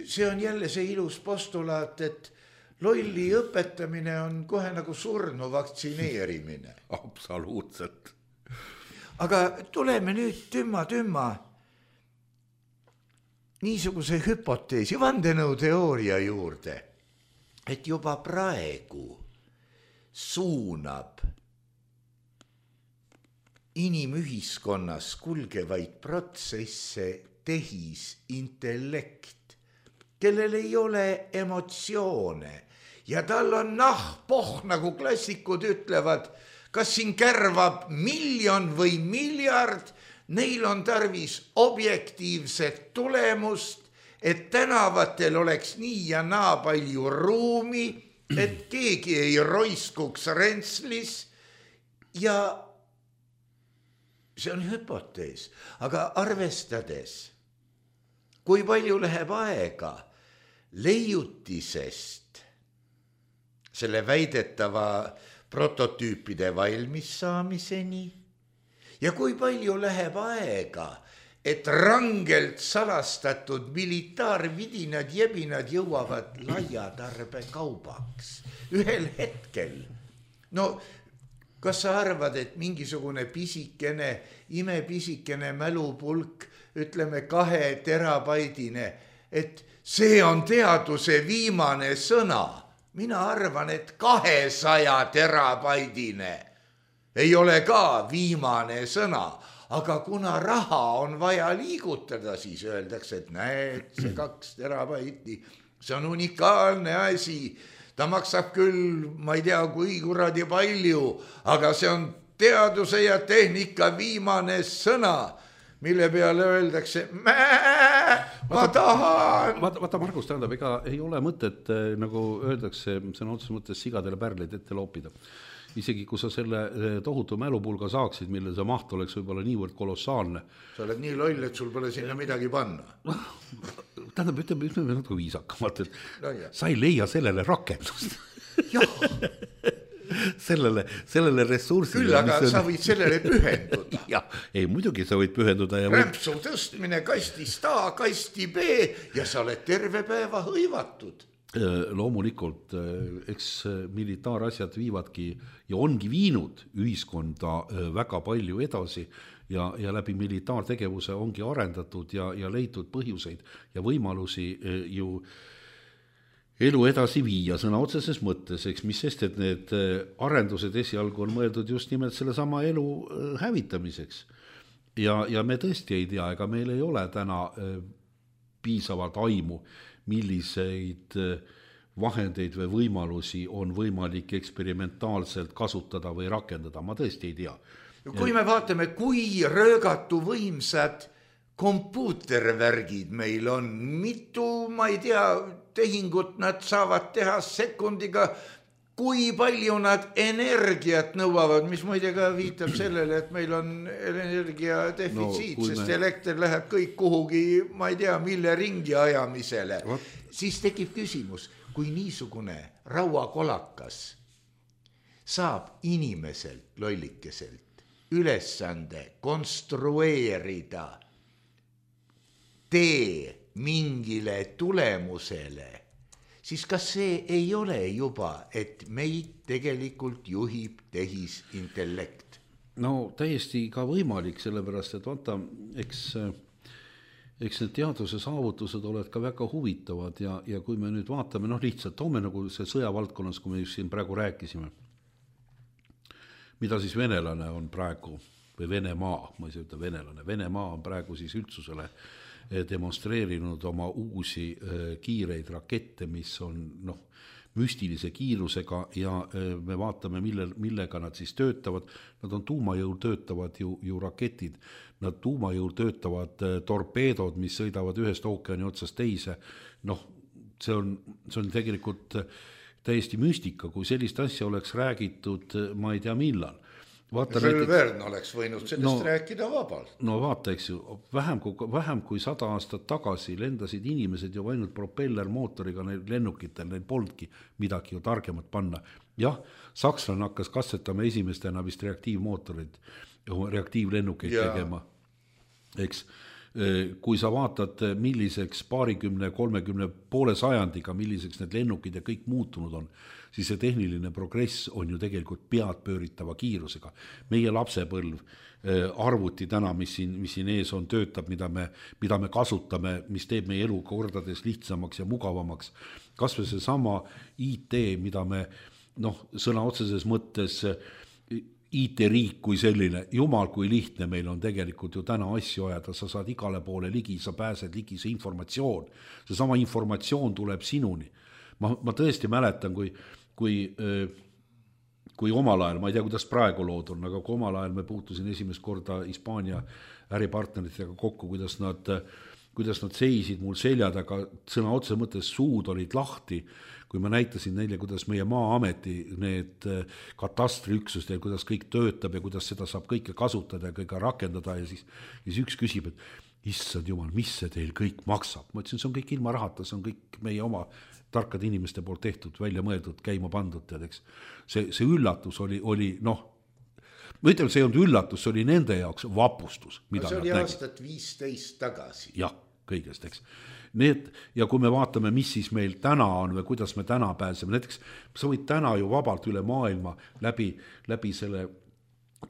See on jälle see ilus postulaat, et lolli õpetamine on kohe nagu surnu vaktsineerimine. Absoluutselt. Aga tuleme nüüd tümma niisuguse hüpoteesi, vandenõuteooria juurde, et juba praegu suunab inimühiskonnas kulgevaid protsesse tehisintellekt, kellel ei ole emotsioone ja tal on nahpoh, nagu klassikud ütlevad, kas siin kärvab 1 miljon või miljard, neil on tarvis objektiivset tulemust, et tänavatel oleks nii ja naa palju ruumi, et keegi ei roiskuks rentslis ja see on hüpotees, aga arvestades, kui palju läheb aega leiutisest selle väidetava prototüüpide valmis saamiseni ja kui palju läheb aega, et rangelt salastatud militaarvidinad jebinad jõuavad laiatarbekaubaks ühel hetkel. No kas sa arvad, et mingisugune pisikene, imepisikene mälupulk, ütleme 2 terabaidine, et see on teaduse viimane sõna? Mina arvan, et 200 terabaidine ei ole ka viimane sõna. Aga kuna raha on vaja liigutada, siis öeldakse, et näed, see 2 terabaiti, see on unikaalne asi. Ta maksab küll, ma ei tea, kui kuradi palju, aga see on teaduse ja tehnika viimane sõna, mille peale öeldakse, ma tahan. Vaata, Margus, tähendab, ega ei ole mõtet, nagu öeldakse, sõna otseses mõttes sigadele pärleid ette loopida. Isegi kui sa selle tohutu mälupulga saaksid, mille see maht oleks võib-olla niivõrd kolossaalne. Sa oled nii loll, et sul pole sinna midagi panna. Tähendab, ütleme natuke viisakamalt, et sa ei leia sellele rakendust. sellele ressursile. Küll, aga sa võid sellele pühenduda. Ei, muidugi sa võid pühenduda. Rämpsu tõstmine kastist A, kasti B ja sa oled terve päeva hõivatud. Loomulikult, eks militaarasjad viivadki ja ongi viinud ühiskonda väga palju edasi ja läbi militaartegevuse ongi arendatud ja leitud põhjuseid ja võimalusi ju elu edasi viia sõna otseses mõttes, eks mis sest, et need arendused esialgu on mõeldud just nimelt selle sama elu hävitamiseks. Ja me tõesti ei tea, ega meil ei ole täna piisavalt aimu, milliseid vahendeid või võimalusi on võimalik eksperimentaalselt kasutada või rakendada, ma tõesti ei tea. Kui me vaatame, kui röögatu võimsad kompuutervärgid meil on, mitu, ma ei tea, tehingut nad saavad teha sekundiga, kui palju nad energiat nõuavad, mis muide ka viitab sellele, et meil on energia defitsiit, sest elekter läheb kõik kuhugi, ma ei tea, mille ringi ajamisele. Siis tekib küsimus, kui niisugune rauakolakas saab inimeselt, lollikeselt, ülesande konstrueerida tee mingile tulemusele, siis kas see ei ole juba, et meid tegelikult juhib tehisintellekt? No täiesti ka võimalik, sellepärast, et vaata, eks need teaduse saavutused oled ka väga huvitavad ja kui me nüüd vaatame, lihtsalt toome nagu see sõjavaldkonnas, kui me just siin praegu rääkisime, mida siis venelane on praegu, või Venemaa, ma ei saa ütelda venelane, Venemaa on praegu siis üldsusele demonstreerinud oma uusi kiireid rakette, mis on müstilise kiirusega ja me vaatame, millega nad siis töötavad. Nad on tuumajõul töötavad ju raketid, nad tuumajõul töötavad torpeedod, mis sõidavad ühest ookeani otsast teise. See on tegelikult täiesti müstika, kui sellist asja oleks räägitud, ma ei tea millal. Jules Verne oleks võinud sellest rääkida vabalt. No vaata, eks ju, vähem kui 100 aastat tagasi lendasid inimesed ju ainult propellermootoriga neil lennukitel, neil polnudki midagi ju targemat panna. Jah, sakslane hakkas katsetama esimestena vist reaktiivmootorid, reaktiivlennukeid tegema. Eks, kui sa vaatad, milliseks 20, 30, poole sajandiga, milliseks need lennukid ja kõik muutunud on, siis see tehniline progress on ju tegelikult pead pööritava kiirusega. Meie lapsepõlv, arvuti täna, mis siin ees on, töötab, mida me kasutame, mis teeb meie elu kordades lihtsamaks ja mugavamaks. Kas või see sama IT, mida me sõna otseses mõttes IT-riik kui selline, jumal kui lihtne meil on tegelikult ju täna asju ajada, sa saad igale poole ligi, sa pääsed ligi, see informatsioon, see sama informatsioon tuleb sinuni. Ma tõesti mäletan, kui omal ajal, ma ei tea, kuidas praegu lood on, aga kui omal ajal me puutusin esimest korda Hispaania äripartneritega kokku, kuidas nad seisid mul seljad, aga sõna otse mõttes suud olid lahti, kui ma näitasin neile, kuidas meie Maa-ameti need katastriüksused, kuidas kõik töötab ja kuidas seda saab kõike kasutada ja kõige rakendada ja siis üks küsib, et issand jumal, mis see teil kõik maksab? Ma ütlesin, see on kõik ilma rahata, see on kõik meie oma tarkade inimeste poolt tehtud, välja mõeldud, käima pandud, tead, eks. See üllatus oli noh, ma ütlen, see ei olnud üllatus, see oli nende jaoks vapustus, mida see oli nad aastat 15 tagasi. Jah, kõigest, eks. Need, ja kui me vaatame, mis siis meil täna on või kuidas me täna pääseme, näiteks sa võid täna ju vabalt üle maailma läbi selle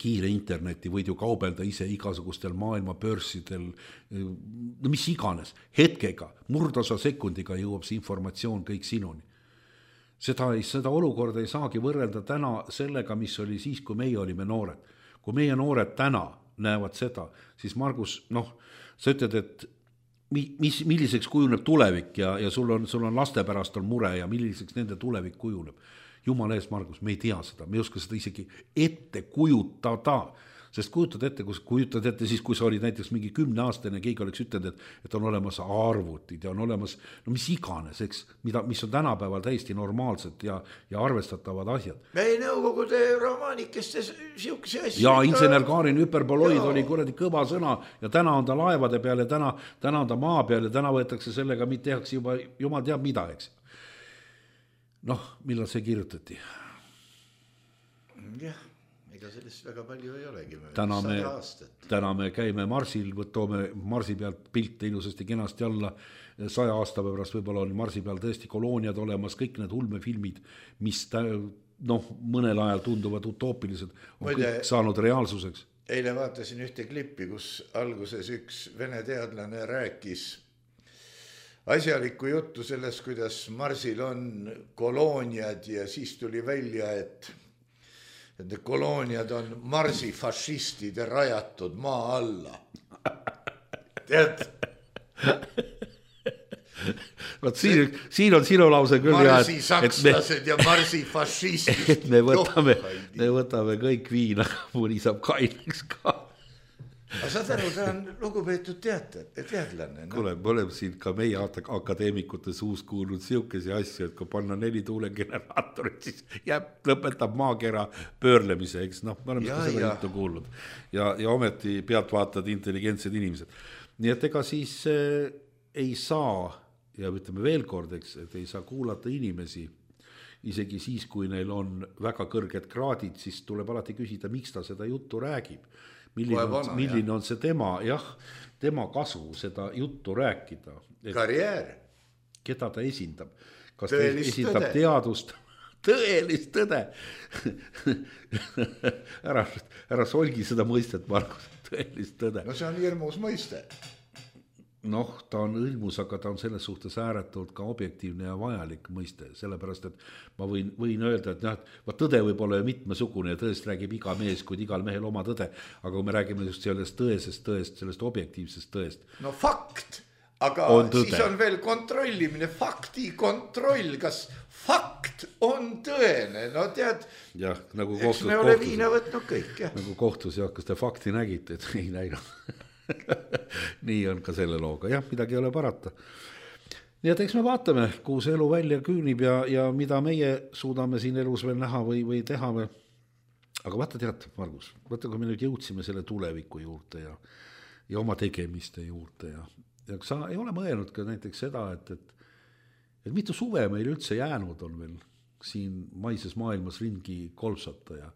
kiire interneti võid ju kaubelda ise igasugustel maailma börsidel, no mis iganes, hetkega, murdosa sekundiga jõuab see informatsioon kõik sinuni. Seda olukorda ei saagi võrrelda täna sellega, mis oli siis, kui meie olime noored. Kui meie noored täna näevad seda, siis Margus, noh, sa ütled, et milliseks kujuneb tulevik ja sul on laste pärast on mure ja milliseks nende tulevik kujuneb. Jumala ees, Margus, me ei tea seda, me ei oska seda isegi ette kujutada, sest kujutad ette siis, kui sa olid näiteks mingi 10-aastane, keegi oleks ütelnud, et on olemas arvutid ja on olemas, no mis iganes, eks, mis on tänapäeval täiesti normaalsed ja arvestatavad asjad. Ei nõukogude romaanikestes siukse asju. Ja insener Kaarin Hüperboloid oli kuradi kõva sõna ja täna on ta laevade peal ja täna on ta maa peal ja täna võetakse sellega, tehakse juba jumal teab mida, eks. Noh, millal see kirjutati? Jah, ega sellest väga palju ei olegi. Täna me käime Marsil, toome Marsi pealt pilte ilusasti kenasti alla, 100 aasta pärast võib-olla on Marsi peal tõesti kolooniad olemas, kõik need ulmefilmid, mis mõnel ajal tunduvad utoopilised, on kõik saanud reaalsuseks. Eile vaatasin ühte klippi, kus alguses üks vene teadlane rääkis asjalikku juttu sellest, kuidas Marsil on kolooniad ja siis tuli välja, et need kolooniad on Marsi fašistide rajatud maa alla. Tead? Võt siin on sinu lause küll. Marsi sakslased ja Marsi fašistid. Et me võtame kõik viina, mõni saab kaineks ka. Aga saad aru, ta on lugupeetud teadlane. No? Kuule, me oleme siin ka meie akadeemikute suus kuulnud siukesi asju, et kui panna 4 tuulegeneraatorit, siis lõpetab maakera pöörlemise, eks me oleme seda juttu kuulnud. Ja ometi pealtvaatad intelligentsed inimesed. Nii et ega siis ei saa, ja ütleme veel kord, eks, et ei saa kuulata inimesi, isegi siis, kui neil on väga kõrged kraadid, siis tuleb alati küsida, miks ta seda juttu räägib. Milline on see tema kasu seda juttu rääkida. Karjäär. Keda ta esindab? Kas ta esindab teadust? Tõelist tõde. Ära solgi seda mõistet, Margus, tõelist tõde. No see on hirmus mõiste. Noh, ta on õilmus, aga ta on selles suhtes ääretult ka objektiivne ja vajalik mõiste, sellepärast, et ma võin öelda, et tõde võib olla mitmesugune ja tõest räägib iga mees, kuid igal mehel oma tõde, aga kui me räägime just sellest tõesest, sellest objektiivsest tõest. No fakt, aga siis on veel kontrollimine, fakti kontroll, kas fakt on tõene, no tead, jah, nagu eks me ole viina võtnud kõik, jah. Nagu kohtus, jah, kas te fakti nägite, et ei näinud. Nii on ka selle looga, jah, midagi ei ole parata. Nii et eks me vaatame, kuhu see elu välja küünib ja mida meie suudame siin elus veel näha või teha. Aga vaata tead, Margus, vaata kui me nüüd jõudsime selle tuleviku juurde ja oma tegemiste juurde ja sa ei ole mõelnud ka näiteks seda, et mitu suve meil üldse jäänud on veel siin maises maailmas ringi kolpsata ja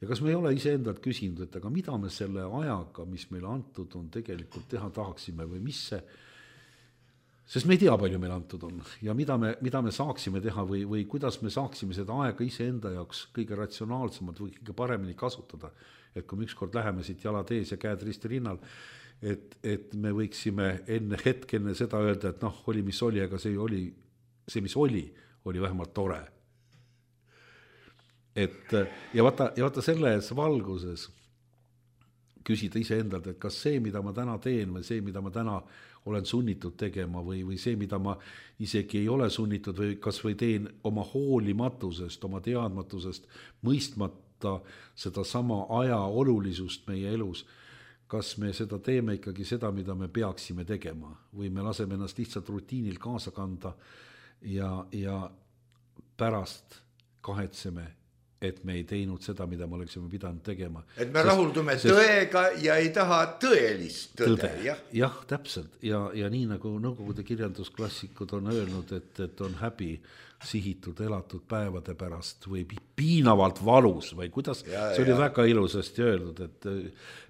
kas me ei ole iseendalt küsinud, et aga mida me selle ajaga, mis meile antud on, tegelikult teha tahaksime või mis see, sest me ei tea, palju meil antud on ja mida me saaksime teha või kuidas me saaksime seda aega iseenda jaoks kõige ratsionaalsemalt või kõige paremini kasutada, et kui me ükskord läheme siit jalad ees ja käed risti rinnal, et me võiksime enne seda öelda, et oli mis oli, aga see mis oli vähemalt tore. Ja vaata selles valguses küsida iseendalt, et kas see, mida ma täna teen või see, mida ma täna olen sunnitud tegema või see, mida ma isegi ei ole sunnitud või kas või teen oma hoolimatusest, oma teadmatusest, mõistmata seda sama aja olulisust meie elus, kas me seda teeme ikkagi seda, mida me peaksime tegema või me laseme ennast lihtsalt rutiinil kaasa kanda ja pärast kahetseme et me ei teinud seda, mida me oleksime pidanud tegema. Et me rahuldume tõega ja ei taha tõelist tõde. Jah, täpselt. Ja nii nagu nõukogude kirjandusklassikud on öelnud, et on häbi sihitud elatud päevade pärast või piinavalt valus või kuidas, see oli väga ilusasti öeldud, et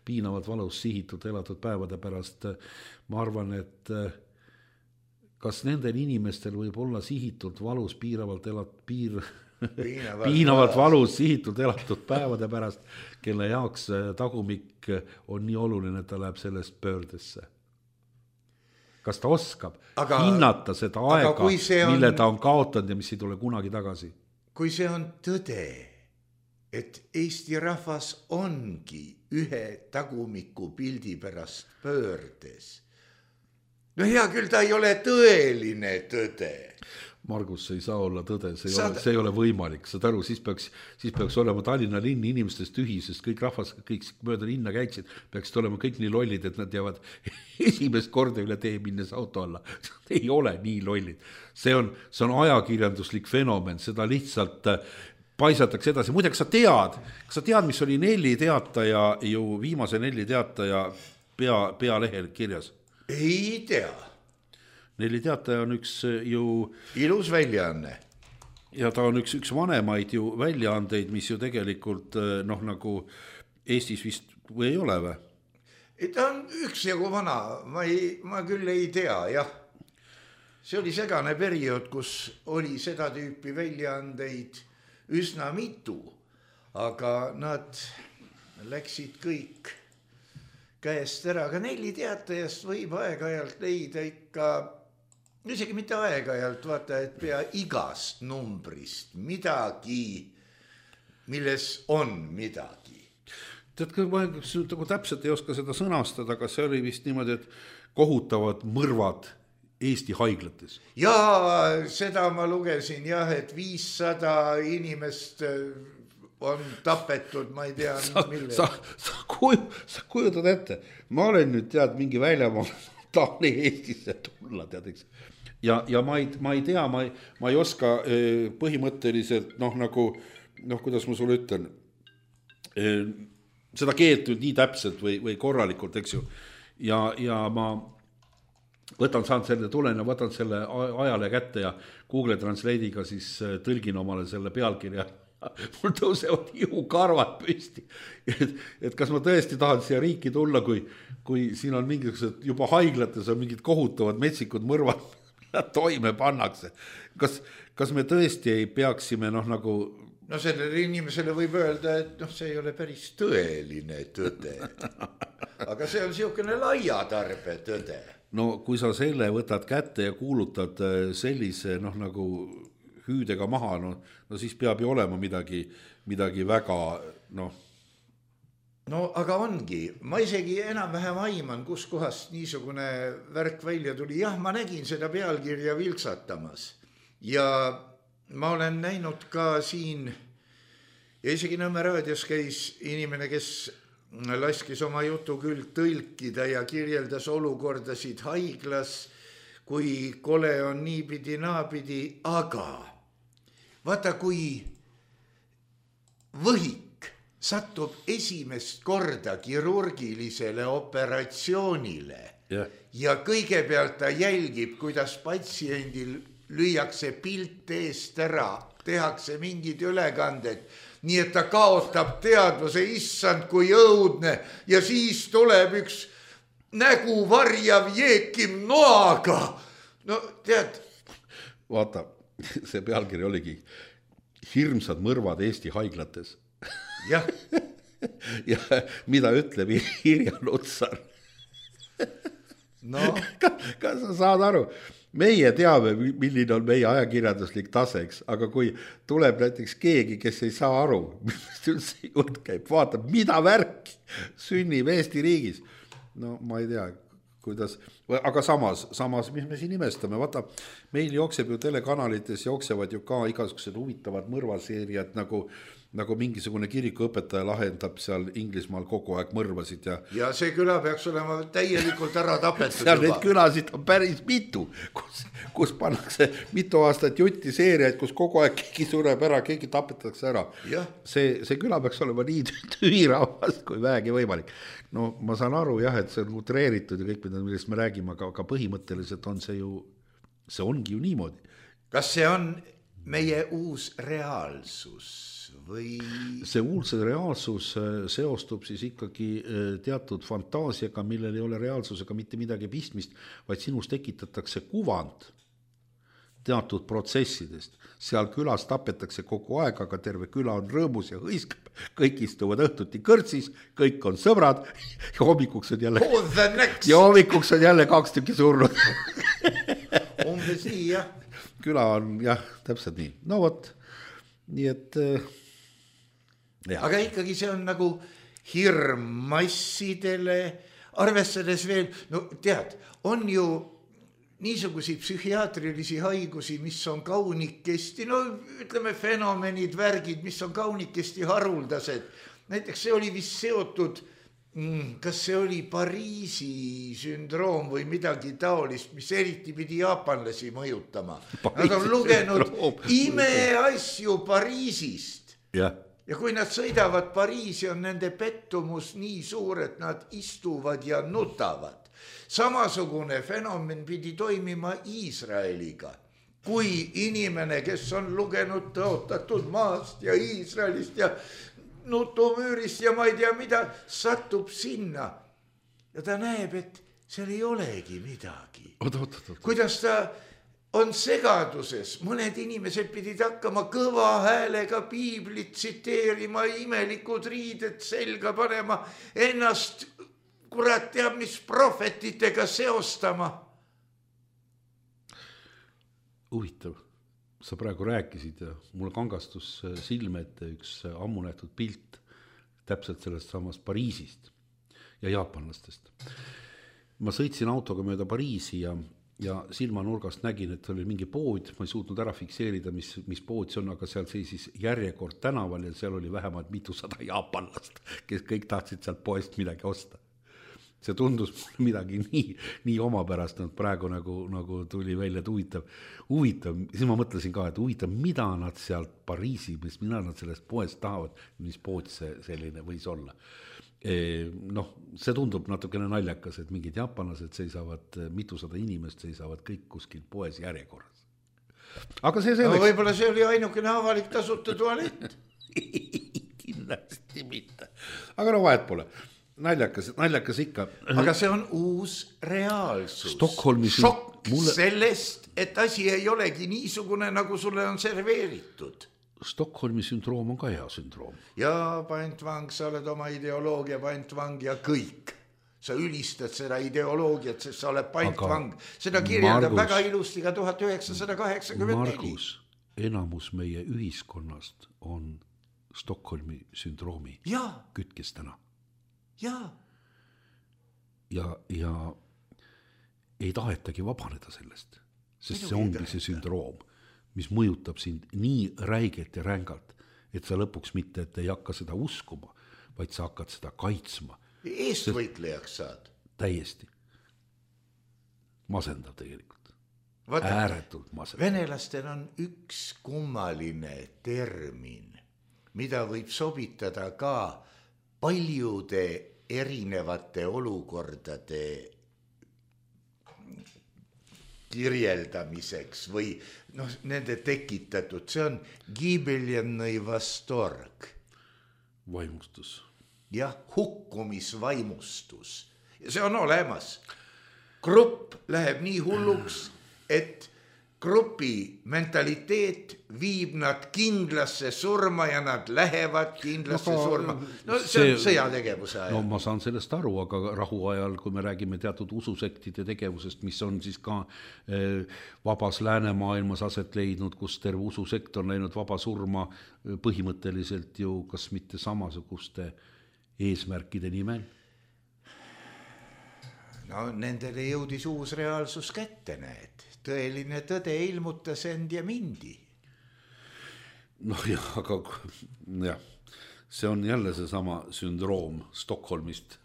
piinavalt valus sihitud elatud päevade pärast. Ma arvan, et kas nendel inimestel võib olla sihitult valus piinavalt valus sihitud elatud päevade pärast, kelle jaoks tagumik on nii oluline, et ta läheb sellest pöördesse. Kas ta oskab hinnata seda aega, mille ta on kaotanud ja mis ei tule kunagi tagasi? Kui see on tõde, et Eesti rahvas ongi ühe tagumiku pildi pärast pöördes, no hea küll, ta ei ole tõeline tõde. Margus, see ei saa olla tõde, see ei ole võimalik, saad aru, siis peaks olema Tallinna linn inimestest tühi, sest kõik rahvas, kõik mööda linna käiksid, peaksid olema kõik nii lollid, et nad jäävad esimest korda üle tee minnes auto alla. Ei ole nii lollid. See on ajakirjanduslik fenomen, seda lihtsalt paisatakse edasi. Muide, kas sa tead, mis oli Nelli Teataja, ju viimase Nelli Teataja pealehel kirjas? Ei tea. Nelli Teataja on üks ju ilus väljaanne. Ja ta on üks vanemaid ju väljaandeid, mis ju tegelikult nagu Eestis vist või ei ole või? Ta on üksjagu vana, ma küll ei tea, jah. See oli segane periood, kus oli seda tüüpi väljaandeid üsna mitu, aga nad läksid kõik käest ära, aga Nelli Teatajast võib aeg-ajalt leida ikka, isegi mitte aeg-ajalt, vaata, et pea igast numbrist midagi, milles on midagi. Tead, ma täpselt ei oska seda sõnastada, aga see oli vist niimoodi, et kohutavad mõrvad Eesti haiglates. Ja seda ma lugesin, jah, et 500 inimest on tapetud, ma ei tea, mille. Sa kujutad ette, ma olen nüüd tead mingi väljamaal, tahan Eestisse tulla, tead, eks. Ja ma ei tea, ma ei oska põhimõtteliselt, kuidas ma sulle ütlen, seda keelt nii täpselt või korralikult, eks ju. Ja ma saan selle tulen ja võtan selle ajale kätte ja Google Translate'iga siis tõlgin omale selle pealkirja. Mul tõusevad ihukarvad püsti, et kas ma tõesti tahan siia riiki tulla, kui siin on mingisugused juba haiglates on mingid kohutavad metsikud mõrvad, toime pannakse. Kas me tõesti ei peaksime nagu... No sellele inimesele võib öelda, et see ei ole päris tõeline tõde. Aga see on siukene laia-tarbe tõde. No kui sa selle võtad kätte ja kuulutad sellise nagu hüüdega maha, no siis peab ju olema midagi väga, No aga ongi, ma isegi enam-vähem aiman, kus kohast niisugune värk välja tuli. Jah, ma nägin seda pealkirja vilksatamas ja ma olen näinud ka siin ja isegi Nõmme raadios käis inimene, kes laskis oma jutu küll tõlkida ja kirjeldas olukordasid haiglas, kui kole on niipidi naapidi, aga vaata, kui võhik satub esimest korda kirurgilisele operatsioonile ja kõigepealt ta jälgib, kuidas patsiendil lüüakse pilt eest ära, tehakse mingid ülekanded, nii et ta kaotab teadvuse, issand kui õudne, ja siis tuleb üks nägu varjav jeekim noaga. No tead. Vaata, see pealkiri oligi hirmsad mõrvad Eesti haiglates. Jah. Ja mida ütleb Irja Lutsar? No. Kas sa saad aru? Meie teame, milline on meie ajakirjanduslik taseks, aga kui tuleb näiteks keegi, kes ei saa aru, millest üldse jutt käib, vaatab, mida värk sünnib Eesti riigis. No ma ei tea, kuidas, aga samas, mis me siin imestame, vaata, meil jookseb ju telekanalites, jooksevad ju ka igasugused huvitavad mõrvaseeriad, nagu mingisugune kirikuõpetaja lahendab seal Inglismaal kogu aeg mõrvasid ja see küla peaks olema täielikult ära tapetud seal juba. Neid külasid on päris mitu, kus pannakse mitu aastat jutti seeriaid, kus kogu aeg keegi sureb ära, keegi tapetakse ära. See küla peaks olema nii tüürahvas kui vähegi võimalik. No ma saan aru jah, et see on utreeritud ja kõik, millest me räägime, aga põhimõtteliselt on see ongi ju niimoodi. Kas see on meie uus reaalsus? Või... See uus reaalsus seostub siis ikkagi teatud fantaasiaga, millel ei ole reaalsusega mitte midagi pistmist, vaid sinus tekitatakse kuvand teatud protsessidest. Seal külas tapetakse kogu aeg, aga terve küla on rõõmus ja hõiskab. Kõik istuvad õhtuti kõrtsis, kõik on sõbrad ja hommikuks on jälle 2 tükki surnud. Umbes nii, jah. Küla on, jah, täpselt nii. No vot, nii et... Aga ikkagi see on nagu hirm massidele, arvestades veel, no tead, on ju niisuguseid psühhiaatrilisi haigusi, mis on kaunikesti, no ütleme fenomenid, värgid, mis on kaunikesti haruldased. Näiteks see oli vist seotud, kas see oli Pariisi sündroom või midagi taolist, mis eriti pidi jaapanlasi mõjutama. Nad on lugenud imeasju Pariisist. Ja kui nad sõidavad Pariisi, on nende pettumus nii suur, et nad istuvad ja nutavad. Samasugune fenomen pidi toimima Iisraeliga. Kui inimene, kes on lugenud tõotatud maast ja Iisraelist ja nutumüürist ja ma ei tea mida, satub sinna ja ta näeb, et seal ei olegi midagi. Kuidas ta on segaduses, mõned inimesed pidid hakkama kõva häälega piiblit tsiteerima, imelikud riided selga panema, ennast kurat teab, mis prohvetitega seostama. Huvitav, sa praegu rääkisid ja mulle kangastus silme ette üks ammu nähtud pilt täpselt sellest samast Pariisist ja jaapanlastest. Ma sõitsin autoga mööda Pariisi ja silmanurgast nägin, et oli mingi pood, ma ei suutnud ära fikseerida, mis pood see on, aga seal seisis järjekord tänaval ja seal oli vähemalt mitusada jaapanlast, kes kõik tahtsid sealt poest midagi osta. See tundus midagi nii omapärast, et praegu nagu tuli välja, et huvitav, siis ma mõtlesin ka, et huvitav, mida nad sealt Pariisi, mida nad sellest poest tahavad, mis pood see selline võis olla. See tundub natukene naljakas, et mingid jaapanlased seisavad, mitusada inimest seisavad kõik kuskil poes järjekorras. Aga see selleks... No, võib-olla see oli ainukene avalik tasuta tualett. Kindlasti mitte. Aga no vahet pole. Naljakas ikka. Aga see on uus reaalsus. Šokk sellest, et asi ei olegi niisugune, nagu sulle on serveeritud. Stockholmi sündroom on ka hea sündroom. Ja pantvang, sa oled oma ideoloogia pantvang ja kõik. Sa ülistad seda ideoloogiat, sest sa oled pantvang. Seda kirjeldab väga ilusti ka 1984. Margus, enamus meie ühiskonnast on Stockholmi sündroomi kütkestena. Ja ei tahetagi vabaneda sellest, sest see ongi see sündroom, mis mõjutab sind nii räigelt ja rängalt, et sa lõpuks mitte, et ei hakka seda uskuma, vaid sa hakkad seda kaitsma. Eestvõitlejaks saad. Täiesti. Masendav tegelikult. Ääretult masendav. Venelastel on üks kummaline termin, mida võib sobitada ka paljude erinevate olukordade kirjeldamiseks või nende tekitatud. See on gibeljennõi vastorg. Vaimustus. Jah, hukkumisvaimustus. Ja see on olemas. Grupp läheb nii hulluks, et grupi mentaliteet viib nad kindlasse surma ja nad lähevad kindlasse surma. No see on sõjategevuse ajal. No ma saan sellest aru, aga rahu ajal, kui me räägime teatud ususektide tegevusest, mis on siis ka vabas läänemaailmas aset leidnud, kus terve ususekt on läinud vaba surma põhimõtteliselt ju kas mitte samasuguste eesmärkide nimel. No nendele jõudis uus reaalsus kätte, näed. Tõeline tõde ilmutas end ja mindi. No jah, aga jah, see on jälle see sama sündroom Stockholmist.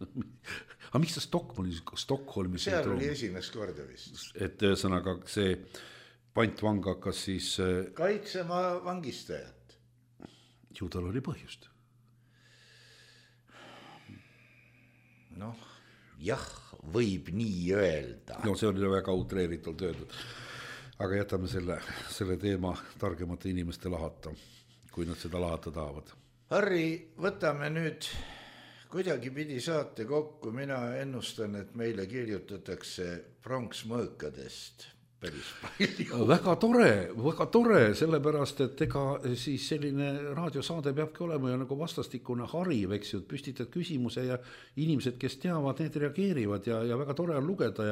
Aga miks see Stockholmi seal sündroom? oli esimest korda vist. Et ühesõnaga see pantvang hakkas siis... Kaitsema vangistajat. Ju tal oli põhjust. Noh, jah, võib nii öelda. No see oli väga utreeritult öeldud. Aga jätame selle teema targemate inimeste lahata, kui nad seda lahata tahavad. Harri, võtame nüüd kuidagi pidi saate kokku. Mina ennustan, et meile kirjutatakse pronksmõõkadest päris palju. Väga tore, sellepärast, et ega siis selline raadiosaade peabki olema ja nagu vastastikune hariv, eks ju, püstitad küsimuse ja inimesed, kes teavad, need reageerivad ja väga tore on lugeda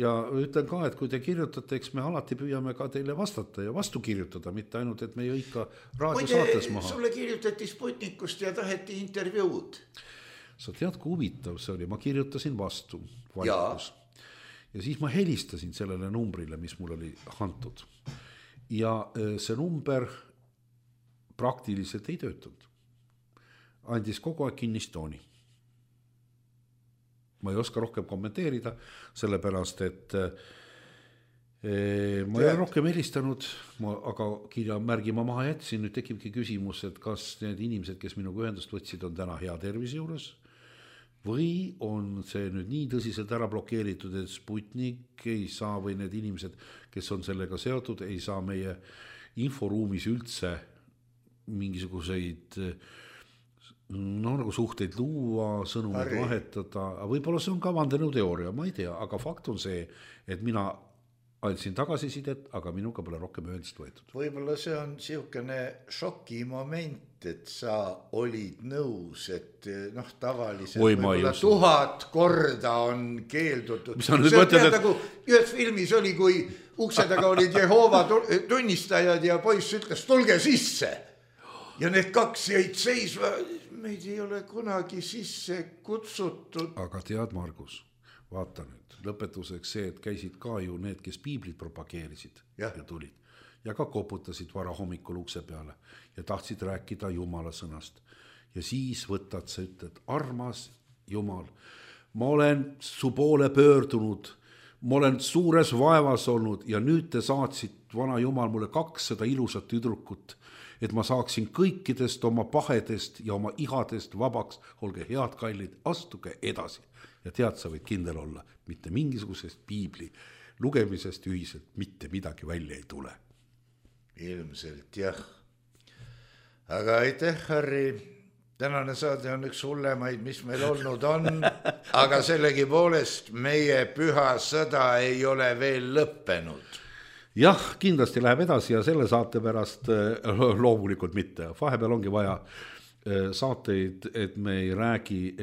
ja ütlen ka, et kui te kirjutate, eks me alati püüame ka teile vastata ja vastu kirjutada, mitte ainult, et me ju ikka raadiosaates maha. Sulle kirjutati Sputnikust ja taheti intervjuud. Sa tead, kui huvitav see oli, ma kirjutasin vastu valikus. Ja siis ma helistasin sellele numbrile, mis mul oli antud. Ja see number praktiliselt ei töötanud. Andis kogu aeg kinnistooni. Ma ei oska rohkem kommenteerida, sellepärast, et ma ei ole rohkem helistanud, aga kirjamärgi ma maha jätsin. Nüüd tekibki küsimus, et kas need inimesed, kes minuga ühendust võtsid, on täna hea tervise juures või on see nüüd nii tõsiselt ära blokeeritud, et Sputnik ei saa või need inimesed, kes on sellega seotud, ei saa meie inforuumis üldse mingisuguseid nagu suhteid luua, sõnumid vahetada. Võib-olla see on ka vandenõuteooria, ma ei tea, aga fakt on see, et mina andsin tagasisidet, aga minuga pole rohkem ühendust võetud. Võib-olla see on siukene šokimoment, et sa olid nõus, et tavaliselt võib-olla 1000 korda on keeldutud. See on nagu ühes filmis oli, kui ukse taga olid Jehoova tunnistajad ja poiss ütles, tulge sisse. Ja need 2 jäid seisva, meid ei ole kunagi sisse kutsutud. Aga tead, Margus, vaata nüüd. Lõpetuseks see, et käisid ka ju need, kes piiblit propageerisid ja tulid. Ja ka koputasid vara hommikul ukse peale ja tahtsid rääkida Jumala sõnast. Ja siis võtad sa ütled, armas Jumal, ma olen su poole pöördunud, ma olen suures vaevas olnud ja nüüd te saatsid, vana Jumal, mulle 200 ilusat tüdrukut, et ma saaksin kõikidest oma pahedest ja oma ihadest vabaks. Olge head, kallid, astuge edasi. Ja tead, sa võid kindel olla, mitte mingisugusest piibli lugemisest ühiselt mitte midagi välja ei tule. Ilmselt jah. Aga aitäh, Harri. Tänane saade on üks hullemaid, mis meil olnud on, aga sellegi poolest meie püha sõda ei ole veel lõppenud. Jah, kindlasti läheb edasi ja selle saate pärast loomulikult mitte. Vahepeal ongi vaja saateid, et me ei räägi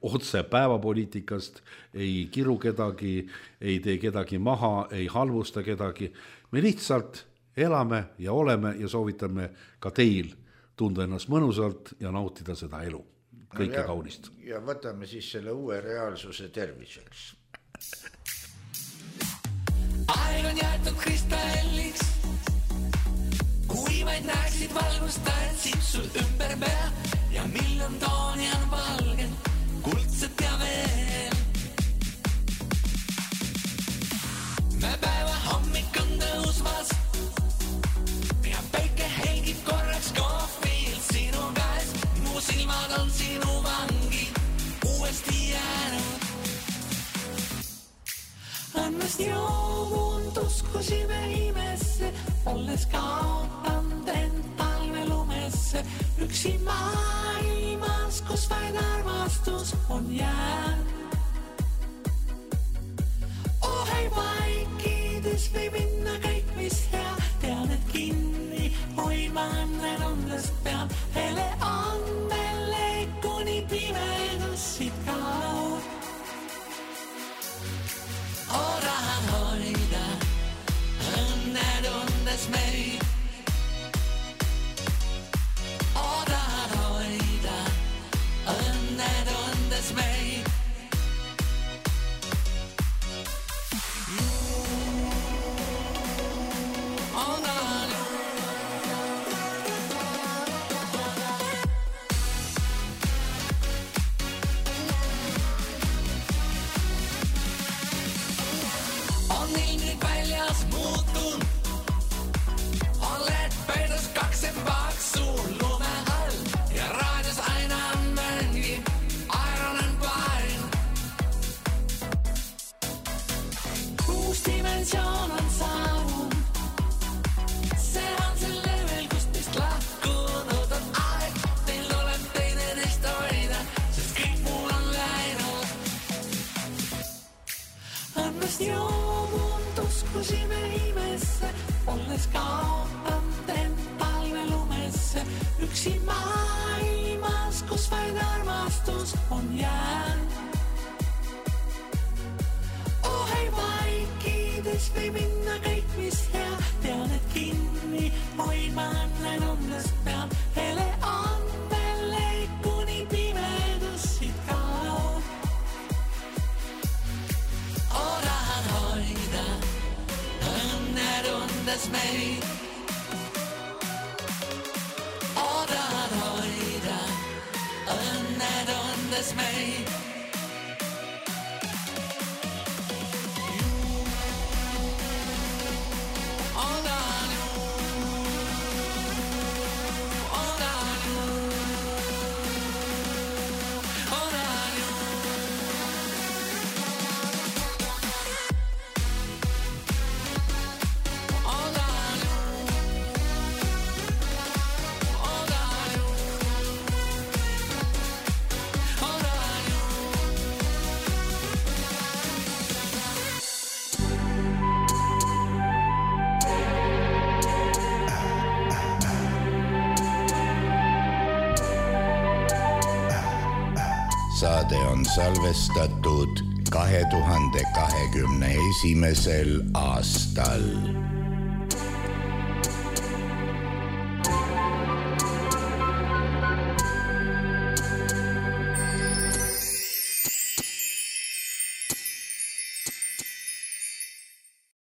otse päevapoliitikast, ei kiru kedagi, ei tee kedagi maha, ei halvusta kedagi. Me lihtsalt elame ja oleme ja soovitame ka teil tunda ennast mõnusalt ja nautida seda elu. Kõike kaunist. Ja võtame siis selle uue reaalsuse terviseks. Aeg on jäetud kristalliks, kui vaid näeksid valgust, taetsid sul ümber pea ja miljon tooni on valgen, kuldset ja veel. Me päeva hommik on tõusvas ja päike helgib korraks kohvilt sinu käes. Mu silmad on sinu vangi uuesti jäänud. Annast joovundus, kui sime imesse, olles kaotanud end talve lumesse. Üksi maailmas, kus vaid armastus on jäänud. Oh ei vaikides võib minna kõik, mis hea. Tean, et kinni hoidma õnnen undest pean. Hele andele kuni pimedas siit kaud. Tahan hoida õnne tundes meid. Tahan hoida õnne tundes meid. jään. Oh hei, vaikkides või minna kõik, mis hea, tean, et kinni hoidmaan näin onnest pean. Hele andmele kuni pimedus siit kaob. Tahan hoida õnne tundes meid. Tahan hoida õnne tundes meid. Saade on salvestatud 2021. aastal.